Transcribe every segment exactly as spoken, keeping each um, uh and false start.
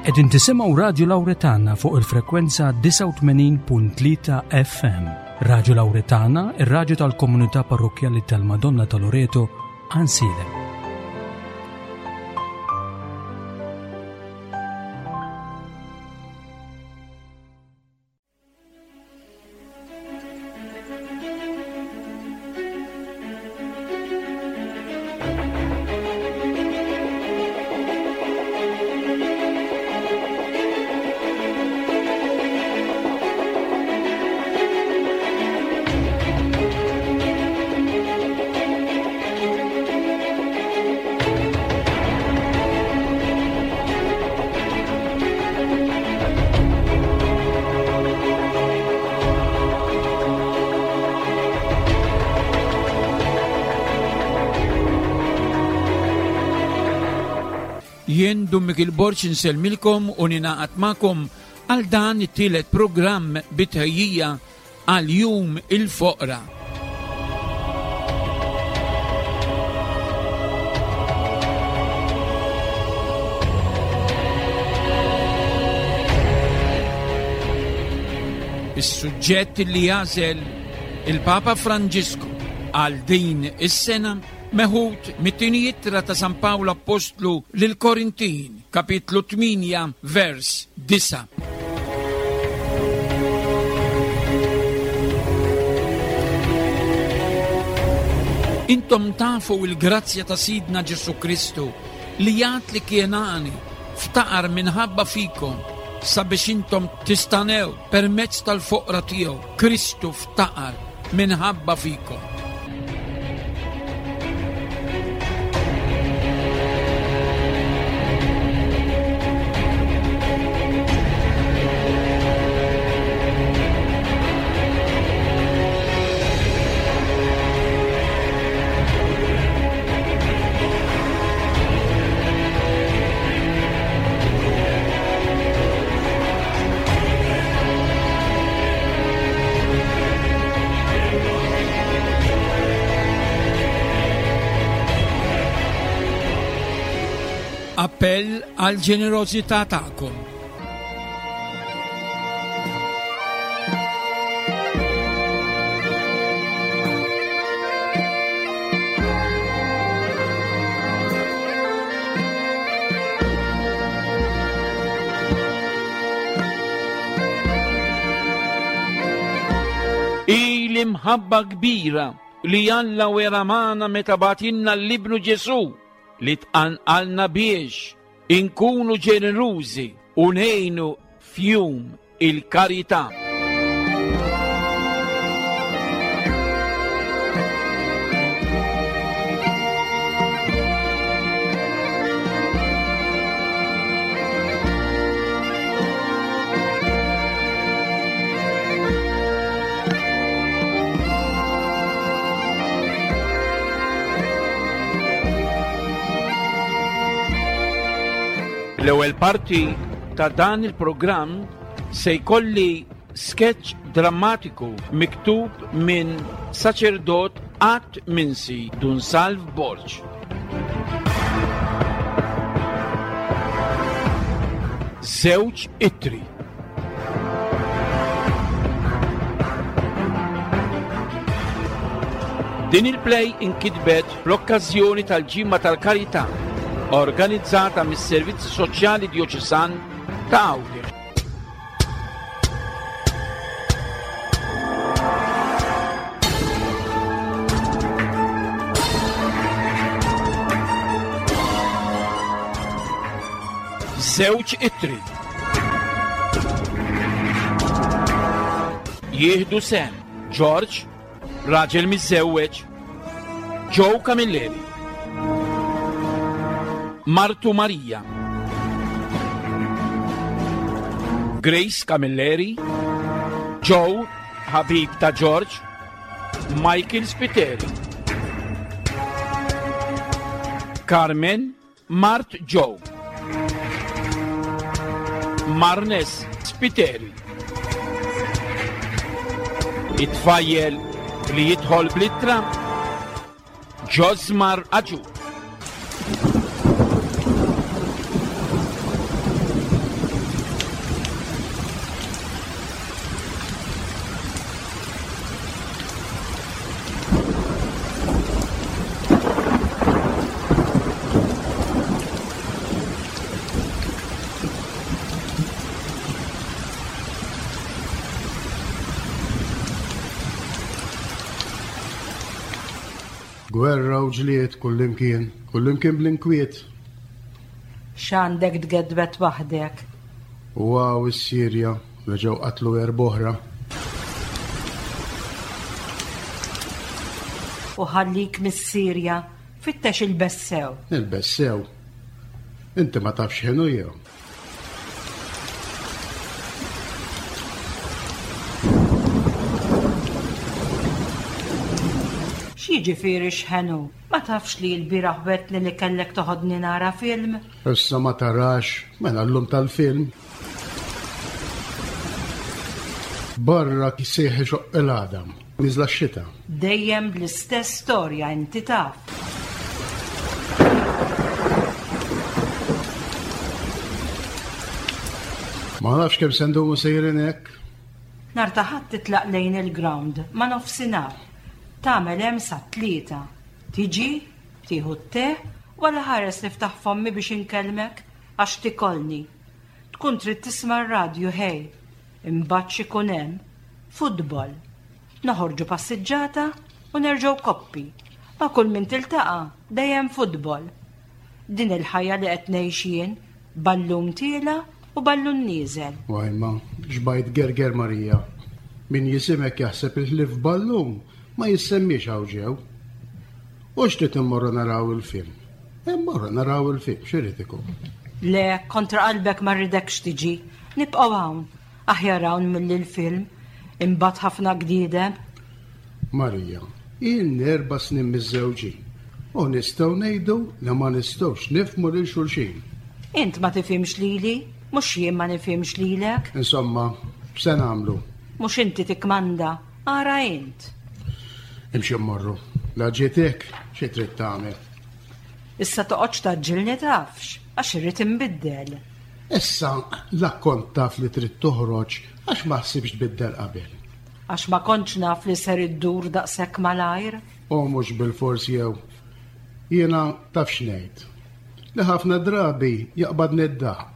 Qegħdin tisimgħu Radju Lawretana fuq il-frekwenza disgħa u tmenin punt tlieta F M. Radju Lawretana, ir-radju tal-komunità parrokkjali tal-Madonna ta' Loreto, Għajnsielem. Jien Dun Mikiel Borg insellmilkom u ninaqat magħkom għal dan it-tielet programm bitħejjija għal Jum il-Foqra. Is-suġġett li jażel il-Papa Franġisku għal din is-sena meħud mit-tieni ittra ta' San Pawl Appostlu lil Korintin, kapitlu tmienja, vers disa'. Intom tafu il-grazzja ta' Sidna Ġesu Kristu li jgħid li kien għani ftaqar minħabba fikom sabiex intom tistanew permezz tal-foqra tiegħu. Kristu ftaqar minħabba fikom. Appell għal ġenerożità tagħkom. Il-imħabba kbira li Alla wera magħna meta bagħtilna l-Ibnu Ġesù li tqanqalna biex inkunu ġenerużi u ngħinu f'jum il-karità. L-ewwel parti ta' dan il-programm se jkolli sketch drammatiku miktub minn saċerdot qatt minsi Dun Salv Borg. Żewġ ittri. Din il-play inkitbet fl-okkażjoni tal-Ġimgħa tal-Karità organizzata mis-Servizzi Soċjali Djoċesan ta' Għawdex. Żewġ ittri. Jieħdu sem George, raġel miżżewweġ, Joe Camilleri, Martu Maria, Grace Camilleri, Joe, ħabib ta' George, Michael Spiteri, Carmen, Mart Joe, Marnes Spiteri. It-tfajjel li jidħol bl-ittra, Josmar Aġu. Gwerra u ġlied kullimkien, kullimkien bl-inkwiet. X'għandek tgedbet waħdek? U hawn is-Sirja reġgħu qatlu erb'oħra. U ħallik mis-Sirja, fittex il-bessew. Il-bessew? Inti ma tafx x'inhu jew? X'jiġifieri x'ħenu? Ma tafx li l-bieraħ wetni li kellek toħodni nara film? Issa ma tarax, mela llum tal-film. Barra kisieħ ixoqq il-għadam, niżla x-xita. Dejjem bl-istess storja inti taf. Ma nafx kemm se ndumu sejrin hekk. Nhar ta' Ħadd titlaq lejn il-ground ma' nofsinhar. Tagħmel hemm sa tlieta. Tiġi, tieħu t-te, wala ħares niftaħ fommi biex inkellmek għax tikolni. Tkun trid tisma' r-radju ħej. Imbagħad x'ikun hemm? Futbol. Noħorġu passiġġata u nerġgħu koppi. Ma' kull min tiltaqa' dejjem futbol. Din il-ħajja li qed ngħix jien, ballun tiela' u ballun nieżel. Wajma, xbajt gerger Marija. Min jisimek jaħseb il-ħlief ballun ma jissemmiex hawn ġew. U x'trid immorru naraw il-film? Immorru naraw il-film, x'irid ikun? Le, kontra qalbek ma rridekx tiġi. Nibqgħu hawn. Aħjar hawn milli l-film. Imbagħad ħafna gdiedem. Marija, ilni erba' snin miżżewġin u nistgħu ngħidu li ma nistgħux nifhmu lil xulxin. Int ma tifhimx lili, mhux jien ma nifhimx lilek. Insomma, x'se nagħmlu? Mhux inti tikkmanda, ara int. Imxi mmorru. La ġiet hekk, xi trid tagħmel? Issa toqgħodx taġġilni tafx, għax irrid inbiddel. Issa la kont taf li trid toħroġ għax ma ħsibx tbiddel qabel. Għax ma kontx naf li ser iddur daqshekk malajr. U mhux bil-fors jew. Jiena taf x'ngħid. Li ħafna drabi jaqbadni d-daħq.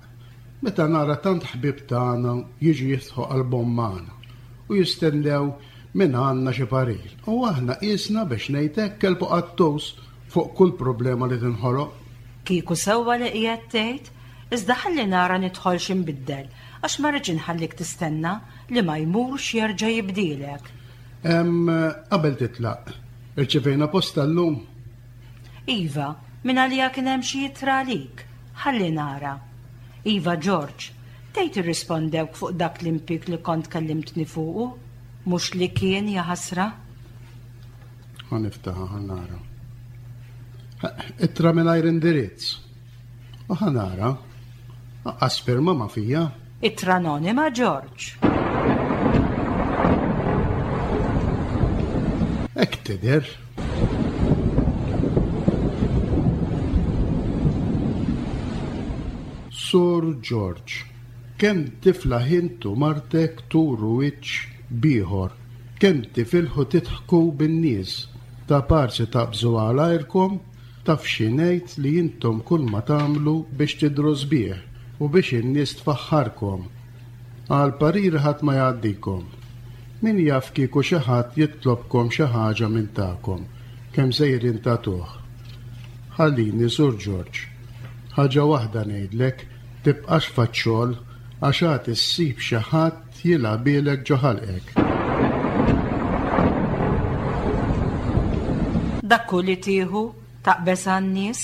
Meta nara tant ħbieb tagħna jiġu jiftħu qalbhom magħna u jistennew minn għandna xi parir. U aħna qisna biex ngħid hekk kelb u qattus fuq kull problema li tinħoloq. Kieku sewwa li qiegħed tgħid, iżda ħalli nara nidħol xi nbiddel, għax ma rridx inħallik tistenna li ma jmurx jerġa' jibdielek. Em, qabel titlaq, irċevejna posta llum? Iva, minn għalija kien hemm xi ittra għalik. Ħalli nara. Iva, George, tgħid irrispondewk fuq dak l-impik li kont kellimtni fuqu? Mhux li kien ja ħasra? Ħa niftaħha, ħa nara. Ittra mingħajr indirizz. U ħa nara. Aqqas firma ma fija. Ittra anonima, George. Hekk tidher. Sur George, kemm tiflaħ int u martek turu wiċċ bieħor, kemm tifilħu tidħku bin-nies, ta' parsi taqbżu għal għajrkom, taf xi ngħid li intom kull ma tagħmlu biex tidhru sbieħ u biex in-nies tfaħħarkom. Għal parir ħadd ma jgħaddikom. Min jaf kieku xi ħadd jitlobkom xi ħaġa minn tagħkom, kemm sejrin tagħtuh. Ħallini, Sur George, ħaġa waħda ngħidlek, tibqax faċċol għax għad issib xi ħadd jilgħabilek ġo ħalqek. Dak hu li tieħu taqbeż għan-nies,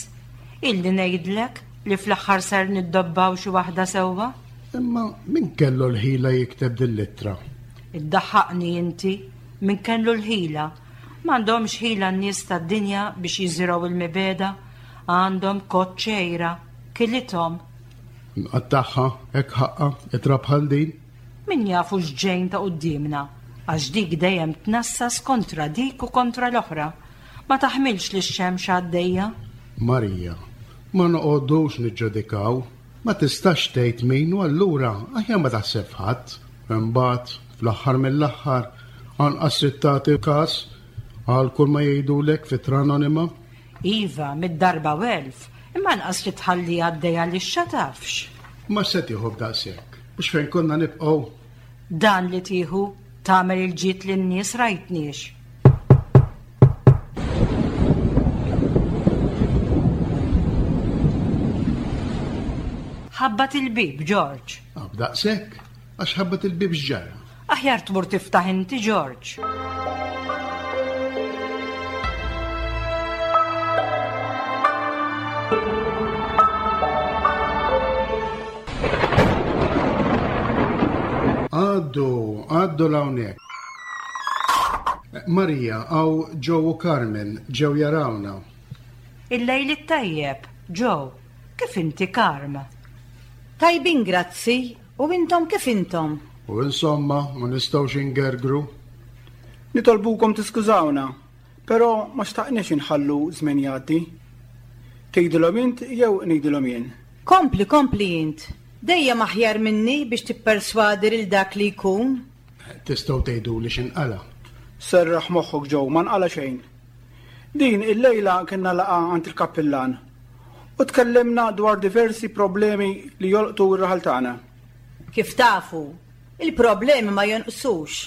illi ngħidlek li fl-aħħar ser niddobbaw xi waħda sewwa. Imma min kellu l-ħila jikteb din l-ittra? Iddaħħaqni inti, min kellu l-ħila. M'għandhomx ħila n-nies tad-dinja biex jiżirgħu il-mibeda, għandhom koċċejra, kilithom. Nqattagħha, hekk ħaqqa, ittra bħal din? Min jafu x'ġejn ta' quddiemna, għax dik dejjem tnassas kontra dik u kontra l-oħra. Ma taħmilx li x-xemx għaddejja. Marija, ma noqogħdux niġġudikaw, ma tistax tgħid min u allura aħjar ma taħseb ħadd. Imbagħad, fl-aħħar mill-aħħar, anqas trid tagħti każ għal kull ma jgħidulek f'ittra anonima. Iva, mid-darba u elf, imma anqas li tħalli għaddejja li x'tafx. Ma se tieħu b'daqshekk, mhux fejn konna nibqgħu. Dan li tieħu tagħmel il-ġid lin-nies rajtniex. Ħabbat il-bieb, George. B'daqshekk, għax ħabbat il-bieb x'ġara. Aħjar tmur tiftaħ inti, George. Għaddu, għaddu l'hawnhekk. Marija, hawn Joe u Carmen ġew jarawna. Il-lejl it-tajjeb, Joe, kif inti Carm? Tajbin, grazzi, u intom kif intom? U insomma, ma nistgħux ingergru. Nitolbukom tiskużawna, però ma xtaqniex inħallu żmien jgħaddi. Tgħidilhom int jew ngħidilhom jien? Kompli, kompli int. Dejjem aħjar minni biex tipperswadi lil dak li jkun. Tistgħu tgħidu li x'inqala. Serraħ moħħok Joe, ma nqala xejn. Din il-lejla kienna laqgħa għand il-kappillan u tkellimna dwar diversi problemi li jolqtu r-raħal tagħna. Kif tafu, il-problemi ma jonqsux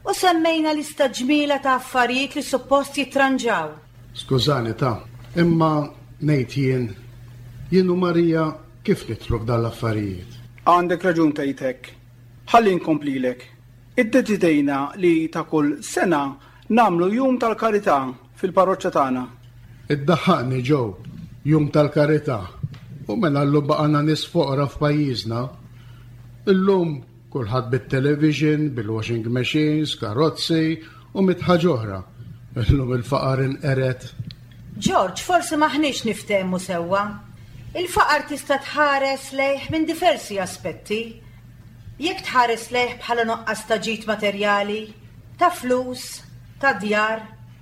u semmejna lista ġmiela ta' affarijiet li suppost jitranġaw. Skużani ta', imma ngħid jien, jien u Marija kif nidħlu f'dan l-affarijiet? Għandek raġun tgħid hekk. Ħalli nkomplilek. Iddeċidejna li ta' kull sena nagħmlu jum tal-karità fil-parroċċa tagħna. Iddaħħaqni Joe, jum tal-karità. U mela llum baqgħna nies foqra f'pajjiżna. Illum kulħadd bit-television, bil-washing machines, karozzi u mitt ħaġa oħra. Illum il-faqar inqered. George, forsi m'aħniex niftehmu sewwa. Il-faqar tista' tħares lejh minn diversi aspetti. Jekk tħares lejh bħala nuqqas ta' ġid materjali, ta' flus, ta' djar,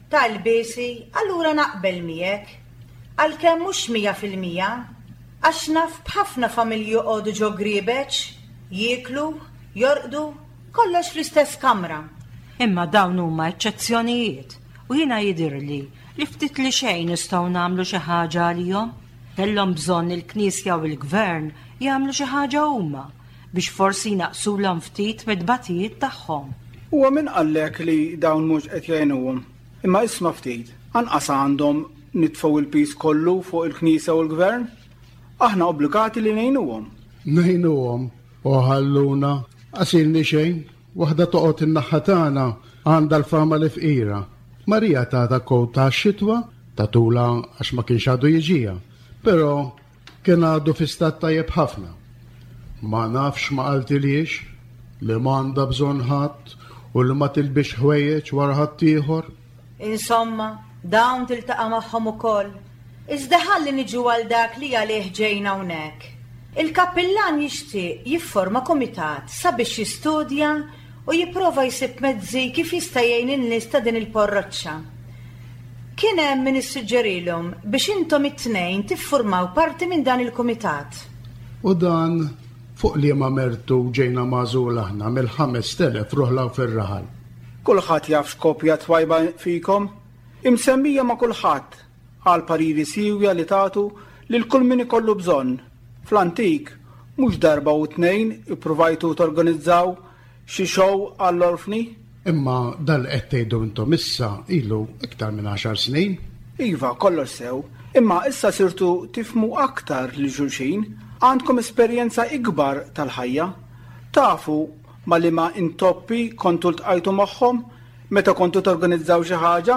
ta' lbiesi, allura naqbel miegħek. Għalkemm mhux mija fil-mija, għax naf b'ħafna familji joqogħdu ġo griebeċ, jieklu, jorqdu, kollox fl-istess kamra. Imma dawn huma eċċezzjonijiet u jiena jidhirli li ftit li xejn nistgħu nagħmlu xi ħaġa għalihom. Kellhom bżonn il-Knisja u l-Gvern jagħmlu xi ħaġa huma biex forsi jnaqsulhom ftit mid-batijiet tagħhom. Huwa min qallek li dawn mhux qed jgħinuhom. Imma isma' ftit, anqas għandhom nitfgħu il-pis kollu fuq il-Knisja u l-Gvern. Aħna obbligati li ngħinuhom. Ngħinuhom u ħalluna qasilni xejn, waħda toqgħod in-naħa tagħna għandha l-fama li fqira. Marija tata kowt ta' xitwa tatula għax ma kienx għadu jiġija, però kien għadu fi stat tajjeb ħafna. Ma nafx ma qaltilix li m'għandha bżonn ħadd u li ma tilbix ħwejjeġ wara ħadd ieħor. Insomma, dawn tiltaqa' magħhom ukoll. Iżda ħalli niġu għal dak li għalih ġejna hawnhekk. Il-kappillan jixtieq jifforma kumitat sabiex jistudja u jipprova jsib mezzi kif jista' jgħin in-nies ta' din il-parroċċa. Kien hemm min issuġġerilhom biex intom it-tnejn tiffurmaw parti minn dan il-kumitat. U dan fuq liema mertu ġejna magħżul aħna mill-ħames telef ruħlaw fir-raħal. Kulħadd jaf x'kopja twajba fikom, imsemmija ma' kulħadd għal pariri siwja li tagħtu lil kull min ikollu bżonn. Fl-antik, mhux darba u tnejn ippruvajtu torganizzaw xi show għall-orfni. Imma dal qed tgħidu intom issa ilu iktar minn għaxar snin. Iva, kollox sew, imma issa sirtu tifmu aktar lil xulxin, għandkom esperjenza ikbar tal-ħajja. Tafu ma li ma intoppi kontu ltqajtu magħhom meta kontu torganizzaw xi ħaġa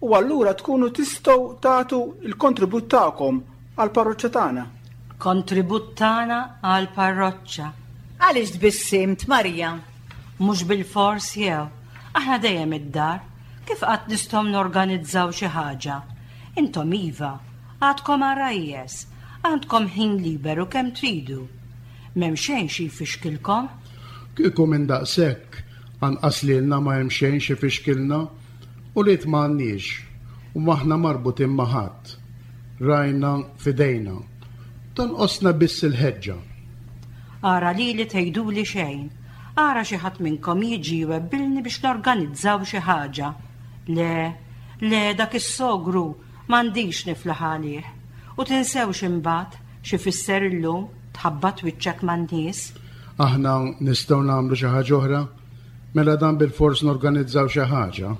u allura tkunu tistgħu tagħtu l-kontribut tagħkom għall-parroċċa tagħna. Kontribut tagħna għall-parroċċa. Għaliex tbissimt, Marija? Mhux bil-fors jew. Aħna dejjem id-dar. Kif qatt nistgħu norganizzaw xi ħaġa? Intom iva, għadkom għarajjes, għandkom ħin liberu kemm tridu. M'hemm xejn xi jfixkilkom? Kieku minn daqshekk, anqas lilna ma hemm xejn xi jfixkilna, u li m'għandniex, u m'aħna marbutin ma' ħadd. Rajna fidejna. Tonqosna biss il-ħeġġa. Ara lili tgħiduli xejn. Ara xi ħadd minnkom jiġi jwebbilni biex norganizzaw xi ħaġa. Le, le, dak is-sogru m'għandix niflaħ għalih. U tinsewx imbagħad xi fisser illum tħabbat wiċċek man-nies. Aħna nistgħu nagħmlu xi ħaġa oħra? Mela dan bil-fors norganizzaw xi ħaġa.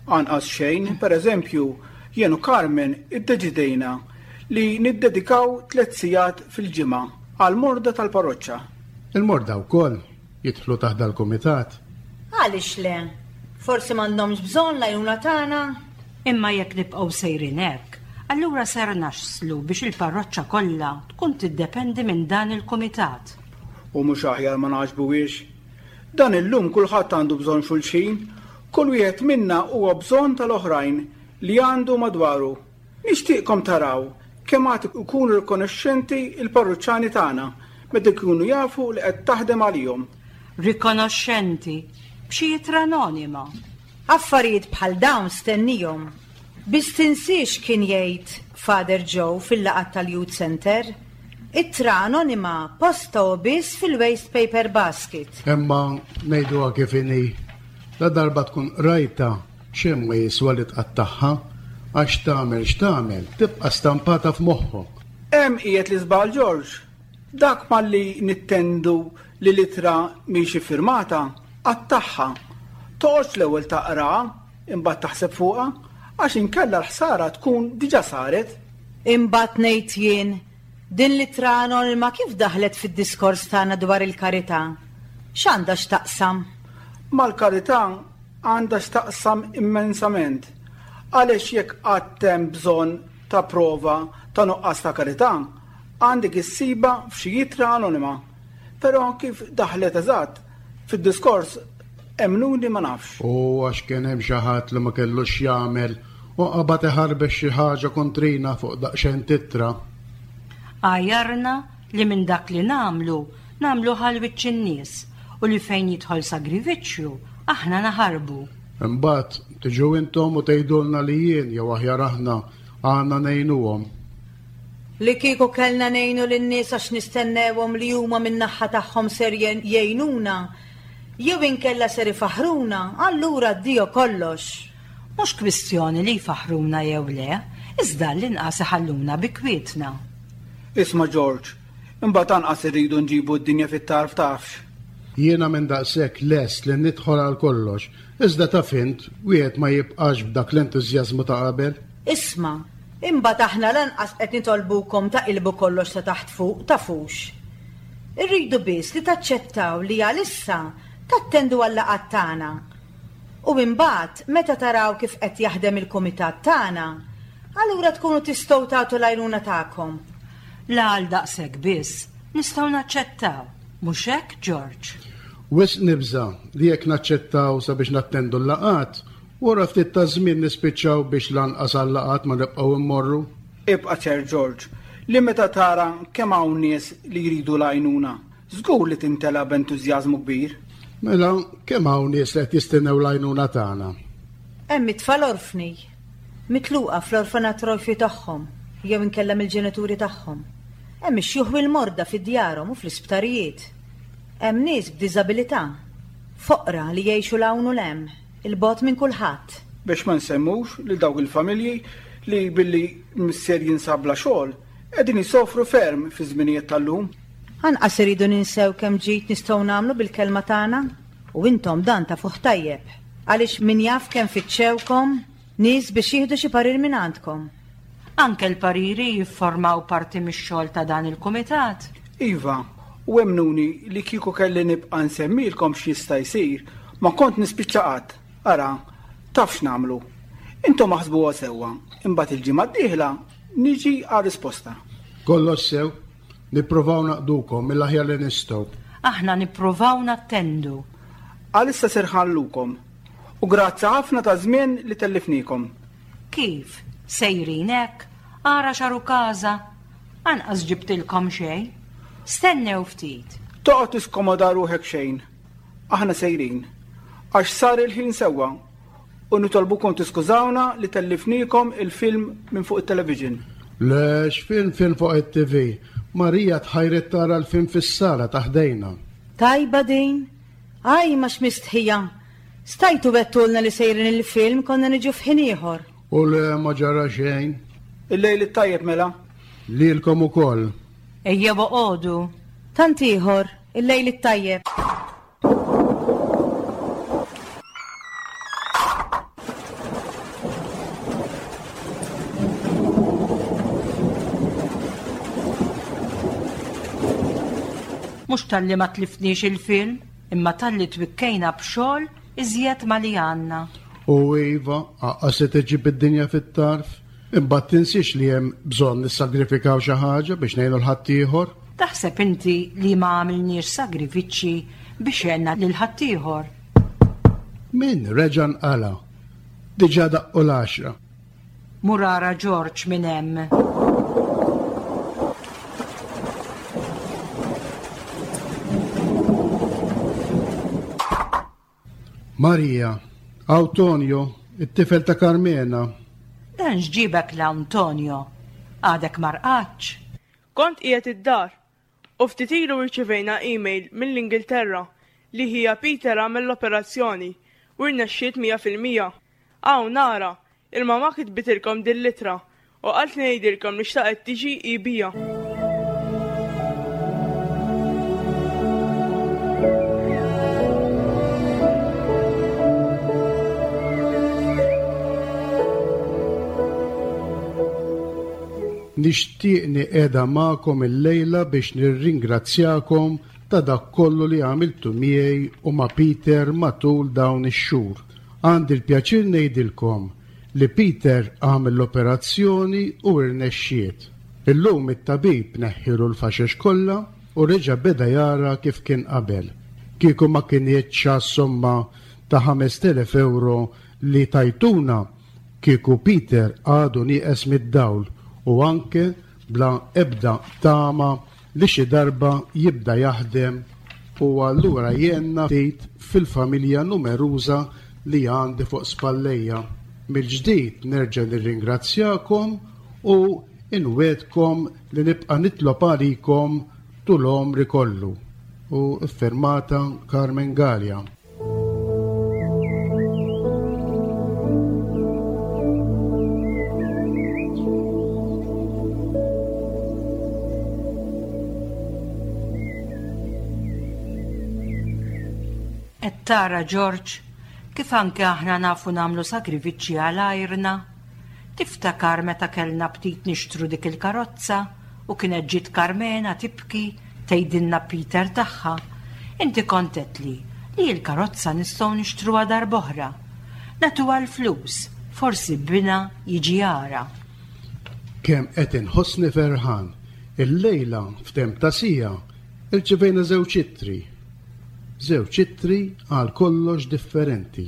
Anqas xejn, pereżempju, jien u Carmen iddeċidejna li niddedikaw tliet sigħat fil-ġimgħa għall-morda tal-parroċċa. Il-morda wkoll jidħlu taħt dal-kumitat. Għaliex le? Forsi m'għandhomx bżonn l-għajnuna tagħna? Imma jekk nibqgħu sejrin hekk, allura ser naslu biex il-parroċċa kollha tkun tiddependi minn dan il-kumitat. U mhux aħjar ma naġbuwiex. Dan illum kulħadd għandu bżonn xulxin, kull wieħed minna huwa bżonn tal-oħrajn li għandu madwaru. Nixtieqkom taraw kemm għad ikunu rikonoxxenti il-parruċċani tagħna meta jkunu jafu li qed taħdem għalihom. Rikonoxxenti b'xi ittra anonima. Affarijiet bħal dawn stennihom. Biss tinsiex kien jgħid Father Joe fil-laqgħat tal-Youth Center. Ittra anonima posta u biss fil-waste paper basket. Imma ngħiduha kif inhi. La darba tkun rajta xejn ma jiswa li tqattagħha għax tagħmel x'tagħmel tibqa' stampata f'moħħok. Hemm qiegħed l-iżbal George. Dak malli nittendu li l-ittra mhix iffirmata, qattagħha. Toqgħodx l-ewwel taqraha imbagħad taħseb fuqha għax inkella l-ħsara tkun diġà saret. Imbagħad ngħid jien, din l-ittra anonima kif daħlet fid-diskors tagħna dwar il-karità? X'għandha x'taqsam? Mal-karità għandha x'taqsam immensament. Għaliex jekk qatt hemm bżonn ta' prova ta' nuqqas ta' karità, għandek issibha f'xi ittra anonima. Però kif daħlet eżatt fid-diskors emmnuni ma nafx. U għax kien hemm xi ħadd li ma kellux jagħmel u qabad iħarbex xi ħaġa kontrina fuq daqsxejn t'ittra. Għajjarna li minn dak li nagħmlu, nagħmlu għal wiċċ in-nies u li fejn jidħol sagrifiċċju aħna naħarbu. Imbagħad tiġu intom u tgħidulna li jien jew aħjar aħna għandna ngħinuhom. Li kieku kellna ngħinu lin-nies għax nistennewhom li huma min-naħa tagħhom ser jgħinuna, jew inkella ser ifaħruna, allura addio kollox. Mhux kwistjoni li jfaħruna jew le, iżda l-inqas iħalluna bi kwietna. Isma' George, imbagħad anqas irridu nġibu d-dinja fit-tarf tafx. Jiena minn daqshekk lest li nidħol għal kollox, iżda taf int wieħed ma jibqax b'dak l-entużjażmu ta' qabel. Isma', imbagħad aħna lanqas qed nitolbukom taqilbu kollox ta' taħt fuq tafux. Irridu biss li taċċettaw li għalissa tattendu għal-laqgħat tagħna. U imbagħad meta taraw kif qed jaħdem il-kumitat tagħna, allura tkunu tistgħu tagħtu l-għajnuna tagħkom. La għal daqshekk biss nistgħu naċċettaw, mhux hekk George? Wisq nibża' li jekk naċċettaw sabiex nattendu l-laqgħat, wara ftit ta' żmien nispiċċaw biex lanqas għal-laqgħat ma nibqgħu immorru. Ibqa' ċert George, li meta tara kemm hawn nies li jridu l-għajnuna, żgur li tintela b'entużjażmu kbir. Mela, kemm hawn nies li qed jistennew l-għajnuna tagħna? Hemm it-tfal orfni, mitluqa fl-orfanatrofju tagħhom jew inkella mill-ġenituri tagħhom. Hemm ix-xjuħ u l-morda fid-djarhom u fl-isptarijiet. Hemm nies b'diżabilità, foqra li jgħixu 'l hawn u 'l hemm, il-bogħod minn kulħadd. Biex ma nsemmux lil dawk il-familji li billi missier jinsab bla xogħol qegħdin jisofru ferm fi żminijiet tal-lum. Anqas iridu ninsew kemm ġid nistgħu nagħmlu bil-kelma tagħna u intom dan tafuh tajjeb. Għaliex min jaf kemm fittxewkom nies biex jieħdu xi parir minn għandkom. Anke l-pariri jifformaw parti mix-xogħol ta' dan il-kumitat. Iva, u emmnuni li kieku kelli nibqa' nsemmilkom x'jista' jsir, ma kont nispiċċa qatt. Ara, taf x'nagħmlu. Intom aħsbuha sewwa, imbagħad il-ġimgħa d-dieħla niġi għar-risposta. Kollox sew, nippruvaw naqdukom mill-aħjar li nistgħu. Aħna nippruvaw nattendu. Għalissa ser nħallukom. U grazzi ħafna ta' żmien li tellifnikom. Kif? Sejrin hekk? Ara x'għarukaża. Anqas ġibtilkom xejn. Stennew ftit. Toqgħod tiskomoda ruħek xejn. Aħna sejrin. Għax sar il-ħin sewwa u nitolbukom tiskużawna li tellifnikom il-film minn fuq it-television. Le, x'film film fuq it-T V? Marija tħajret tara l-film fis-sala ta' ħdejna. Tajba din. Aj, ma x'mistħija. Stajtu bettulna li sejrin il-film konna niġu f'ħin ieħor. U le ma ġara xejn. Il-lejl it-tajjeb mela. Lilkom ukoll. Ejja boqogħdu. Tant ieħor, il-lejl it-tajjeb. Mhux talli ma tlifniex il-film, imma talli twikkejna b'xogħol iżjed ma li għandna. U iva, aqqa se tiġi bid-dinja fit-tarf, imbagħad tinsiex li hemm bżonn nissagrifikaw xi ħaġa biex ngħinu l-ħaddieħor. Taħseb inti li ma għamilniex sagrifiċċji biex għenna lil ħaddieħor? Min reġa' nqala? Diġà daqqu l-għaxra. Mur ara Ġorġ minn hemm. Marija, Antonio, it-tifel ta' Carmena. Dan x'ġibek l Antonio? Għadek ma rqadx? Kont qiegħed id-dar u ftit ilu rċevejna email mill-Ingilterra li ħija Peter għamel l-operazzjoni u rnexxiet mija fil-mija. Hawn nara, il-mama kitbitilkom din l-ittra u qalt li ngħidilkom li xtaqet tiġi hi bija. Nixtieqni qiegħda magħkom illejla biex nirringrazzjakom ta' dak kollu li għamiltu miegħi u ma' Peter matul dawn ix-xhur. Għandi l-pjaċir ngħidilkom li Peter għamel l-operazzjoni u rnexxiet. Illum it-tabib neħħilu l-faxex kollha u reġa' beda jara kif kien qabel. Kieku ma kinitx għas-somma ta' ħamest elef euro li tajtuna, kieku Peter għadu nieqes mid-dawl u anke bla ebda tama li xi darba jibda jaħdem u allura jenna ftit fil-familja numeruża li għandi fuq spallejja. Mill-ġdid nerġa' nirringrazzjakom u inwedkom li nibqa' nitlob għalikom tul għomri kollu. U iffirmata Carmen Galea. Qed tara Ġorġ, kif anke aħna nafu nagħmlu sagrifiċċji għal għajrna. Tiftakar meta kellna btit nixtru dik il-karozza u kienet ġiet Carmena tibki tgħidilna Peter tagħha. Inti kont għedtli li l-karozza nistgħu nixtruha darb'oħra. Nagħtuha l-flus, forsi bina jiġi jara. Kemm qed inħossni ferħan, illejla f'temp ta' sija irċevejna żewġ ittri. Żewġ ittri għal kollox differenti.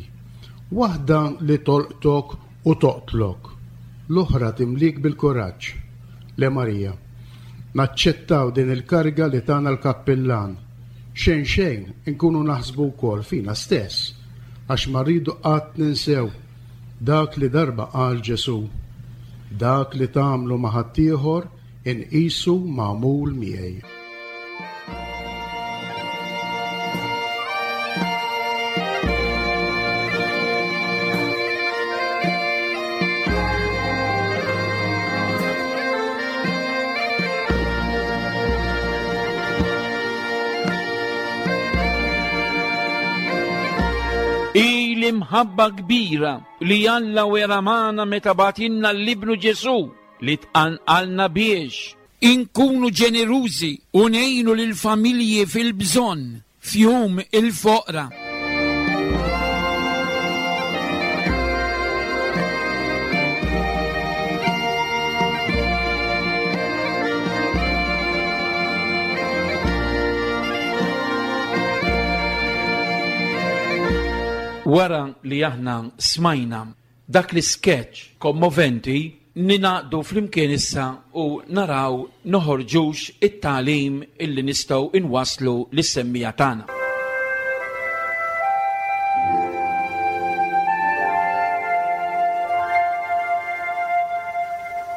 Waħda li tolqtok u toqtlok, l-oħra timlik bil-kuraġġ. Le Marija, naċċettaw din il-karga li tana l-kappillan. Xejn xejn inkunu naħsbu wkoll fina stess, għax ma rridu qatt ninsew dak li darba qal Ġesu. Dak li tagħmlu ma' ħaddieħor inqisu magħmul miegħi. L-imħabba kbira li Alla wera magħna meta bagħtilna l-Ibnu Ġesu li tqanqalna biex inkunu ġenerużi u ngħinu lill-familji fil-bżonn f'jum il-foqra. Wara li aħna smajna dak l-sketch kommoventi, ninaqdu flimkien issa u naraw noħorġux it-tagħlim illi nistgħu inwasslu lis-semmija tagħna.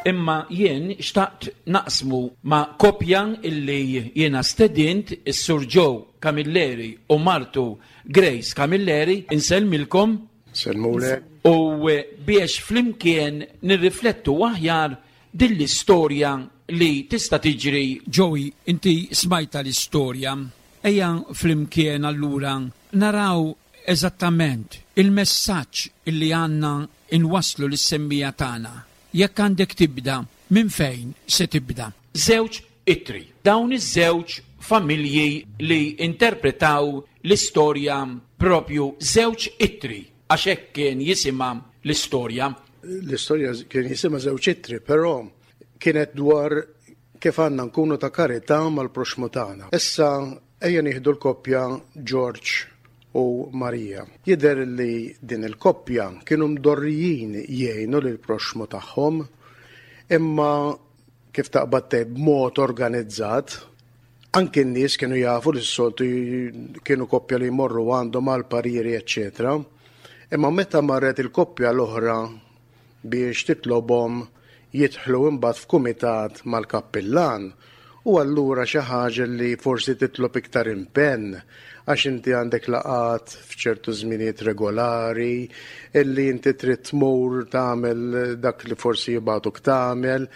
Imma jien xtaqt naqsmu ma' kopja illi jiena stedint is-Sur Joe Camilleri u martu Grace Camilleri, insellmilkom. Sellmulek. U biex flimkien nirriflettu aħjar din l-istorja li tista' tiġri. Joey, inti smajta l-istorja. Ejja flimkien allura naraw eżattament il-messaġġ illi għandna inwasslu lis-semmija tagħna. Jekk għandek tibda, minn fejn se tibda? Żewġ ittri. Dawn iż-żewġ familji li interpretaw l-istorja propju Żewġ Ittri, għax hekk kien jisimha l-istorja. L-istorja kien jisimha Żewġ Ittri, però kienet dwar kif għandna nkunu ta' karità mal-proxmu tagħna. Issa ejja nieħdu l-koppja George u Maria. Jidher li din il-koppja kienu mdorrijin jgħinu lil proxmu tagħhom, imma kif taqbad tgħid b'mod organizzat, anke n-nies kienu jafu li s-soltu kienu koppja li jmorru għandhom għal pariri, eċċetera. Imma meta marret il-koppja l-oħra biex titlobhom jidħlu imbagħad f'kumitat mal-kappillan, u allura xi ħaġa li forsi titlob iktar impenn, għax inti għandek laqat f'ċertu żminijiet regolari, illi inti trid tmur tagħmel dak li forsi jibgħatuk tagħmel,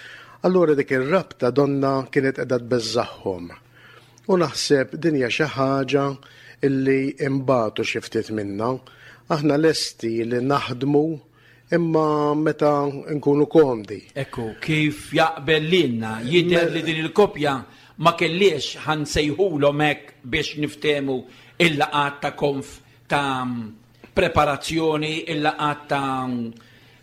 allura dik ir-rabta donna kienet qiegħda tbeżżagħhom. U naħseb din hija xi ħaġa illi imbagħtu xi ftit minna. Aħna lesti li naħdmu imma meta nkunu komdi. Ekku, kif jaqbel lilna, jidher li din il-koppja ma kelliex ħansejħulhom hekk biex niftehmu il-laqat ta' konf ta' preparazzjoni, il-laqat ta'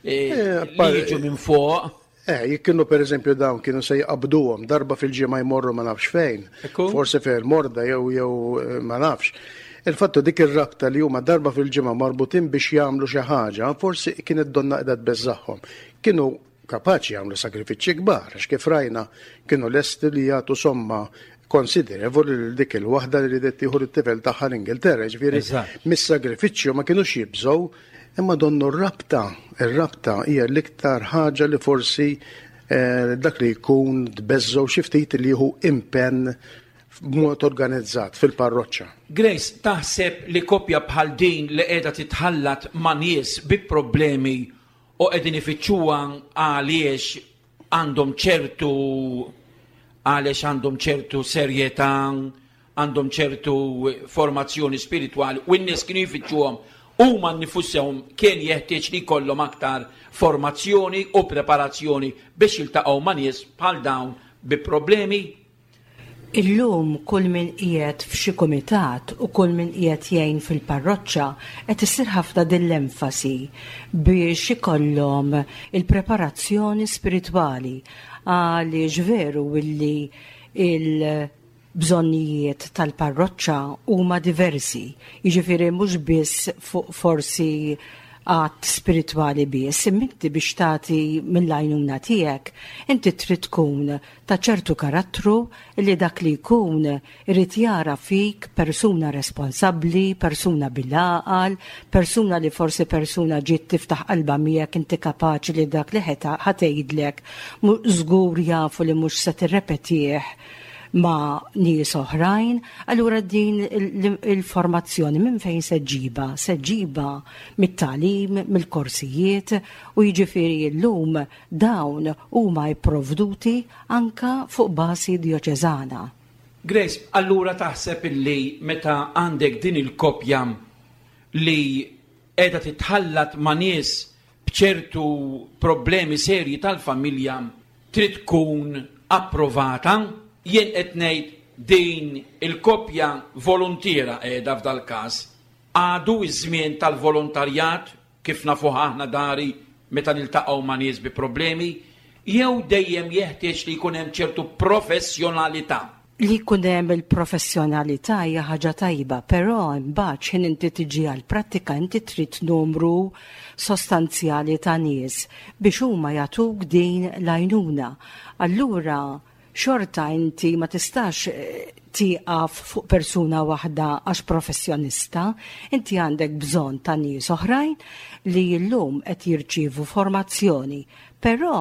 eh, Eh, li par- jiġu minn fuq. Eh, jekk kienu per eżempju dawn kienu se jqabduhom darba fil-ġimgħa jmorru ma nafx fejn. Ekku. Forsi fejn morda jew jew eh, ma nafx. Il-fattu dik ir-rabta li huma darba fil-ġimgħa marbutin biex jagħmlu xi ħaġa, forsi kienet donna qiegħda tbeżżagħhom. Kienu kapaċi jagħmlu sagrifiċċji kbar, għax kif rajna kienu lesti li jagħtu somma konsiderevoli lil dik il-waħda li ridet tieħu lit-tifel tagħha l-Ingilterra, ġifieri Eżatt. mis-sagrifiċċju ma kinux jibżgħu, imma donnu r-rabta, ir-rabta hija l-iktar ħaġa li forsi eh, dak li jkun tbeżżgħu xi ftit li jieħu impenn b'mod organizzat fil-parroċċa. Grace, taħseb li koppja bħal din li qiegħda titħallat ma' nies bi problemi u qegħdin ifittxuha għaliex għandhom ċertu għaliex għandhom ċertu serjetà, għandhom ċertu formazzjoni spiritwali u n-nies kienu jfittxuhom huma nnifushom kien jeħtieġ li jkollhom aktar formazzjoni u preparazzjoni biex jiltaqgħu ma' nies bħal dawn bi problemi. Illum kull min qiegħed f'xi kumitat u kull min qiegħed jgħin fil-parroċċa qed issir ħafna din l-enfasi biex ikollhom il-preparazzjoni spiritwali, għaliex veru illi il-bżonnijiet tal-parroċċa huma diversi, jiġifieri mhux biss fuq forsi għat spiritwali biss, imma inti biex tagħti mill-għajnuna tiegħek, inti trid tkun ta' ċertu karattru li dak li jkun irid jara fik persuna responsabbli, persuna bil-għaqal, persuna li forsi persuna ġiet tiftaħ qalba miegħek, inti kapaċi li dak li ħeta ħatgħidlek żgur jafu li mhux se tirrepetih ma' nies oħrajn, allura din il-, il-formazzjoni minn fejn se ġġibha? Se ġġibha mit-tagħlim, mill-korsijiet, u jiġifieri llum dawn huma jipprovduti anka fuq bażi dioċeżana. Grace, allura taħseb illi meta għandek din il-koppja li qiegħda titħallat ma' nies b'ċertu problemi serji tal-familja trid tkun approvata? Jien qed ngħid din il-koppja volontiera qiegħda f'dal każ. Għadu iż-żmien tal-volontarjat kif nafuh aħna dari meta niltaqgħu ma' nies bi problemi, jew dejjem jeħtieġ li jkun hemm ċertu professjonalità? Li jkun hemm il-professjonalità hija ħaġa tajba, però imbagħad x'ħin inti tiġi għall-prattika inti trid numru sostanzjali ta' nies biex huma jagħtuk din l-għajnuna. Allura xorta inti ma tistax, eh, tieqaf fuq persuna waħda għax professjonista, inti għandek bżonn ta' nies oħrajn li llum qed jirċievu formazzjoni. Però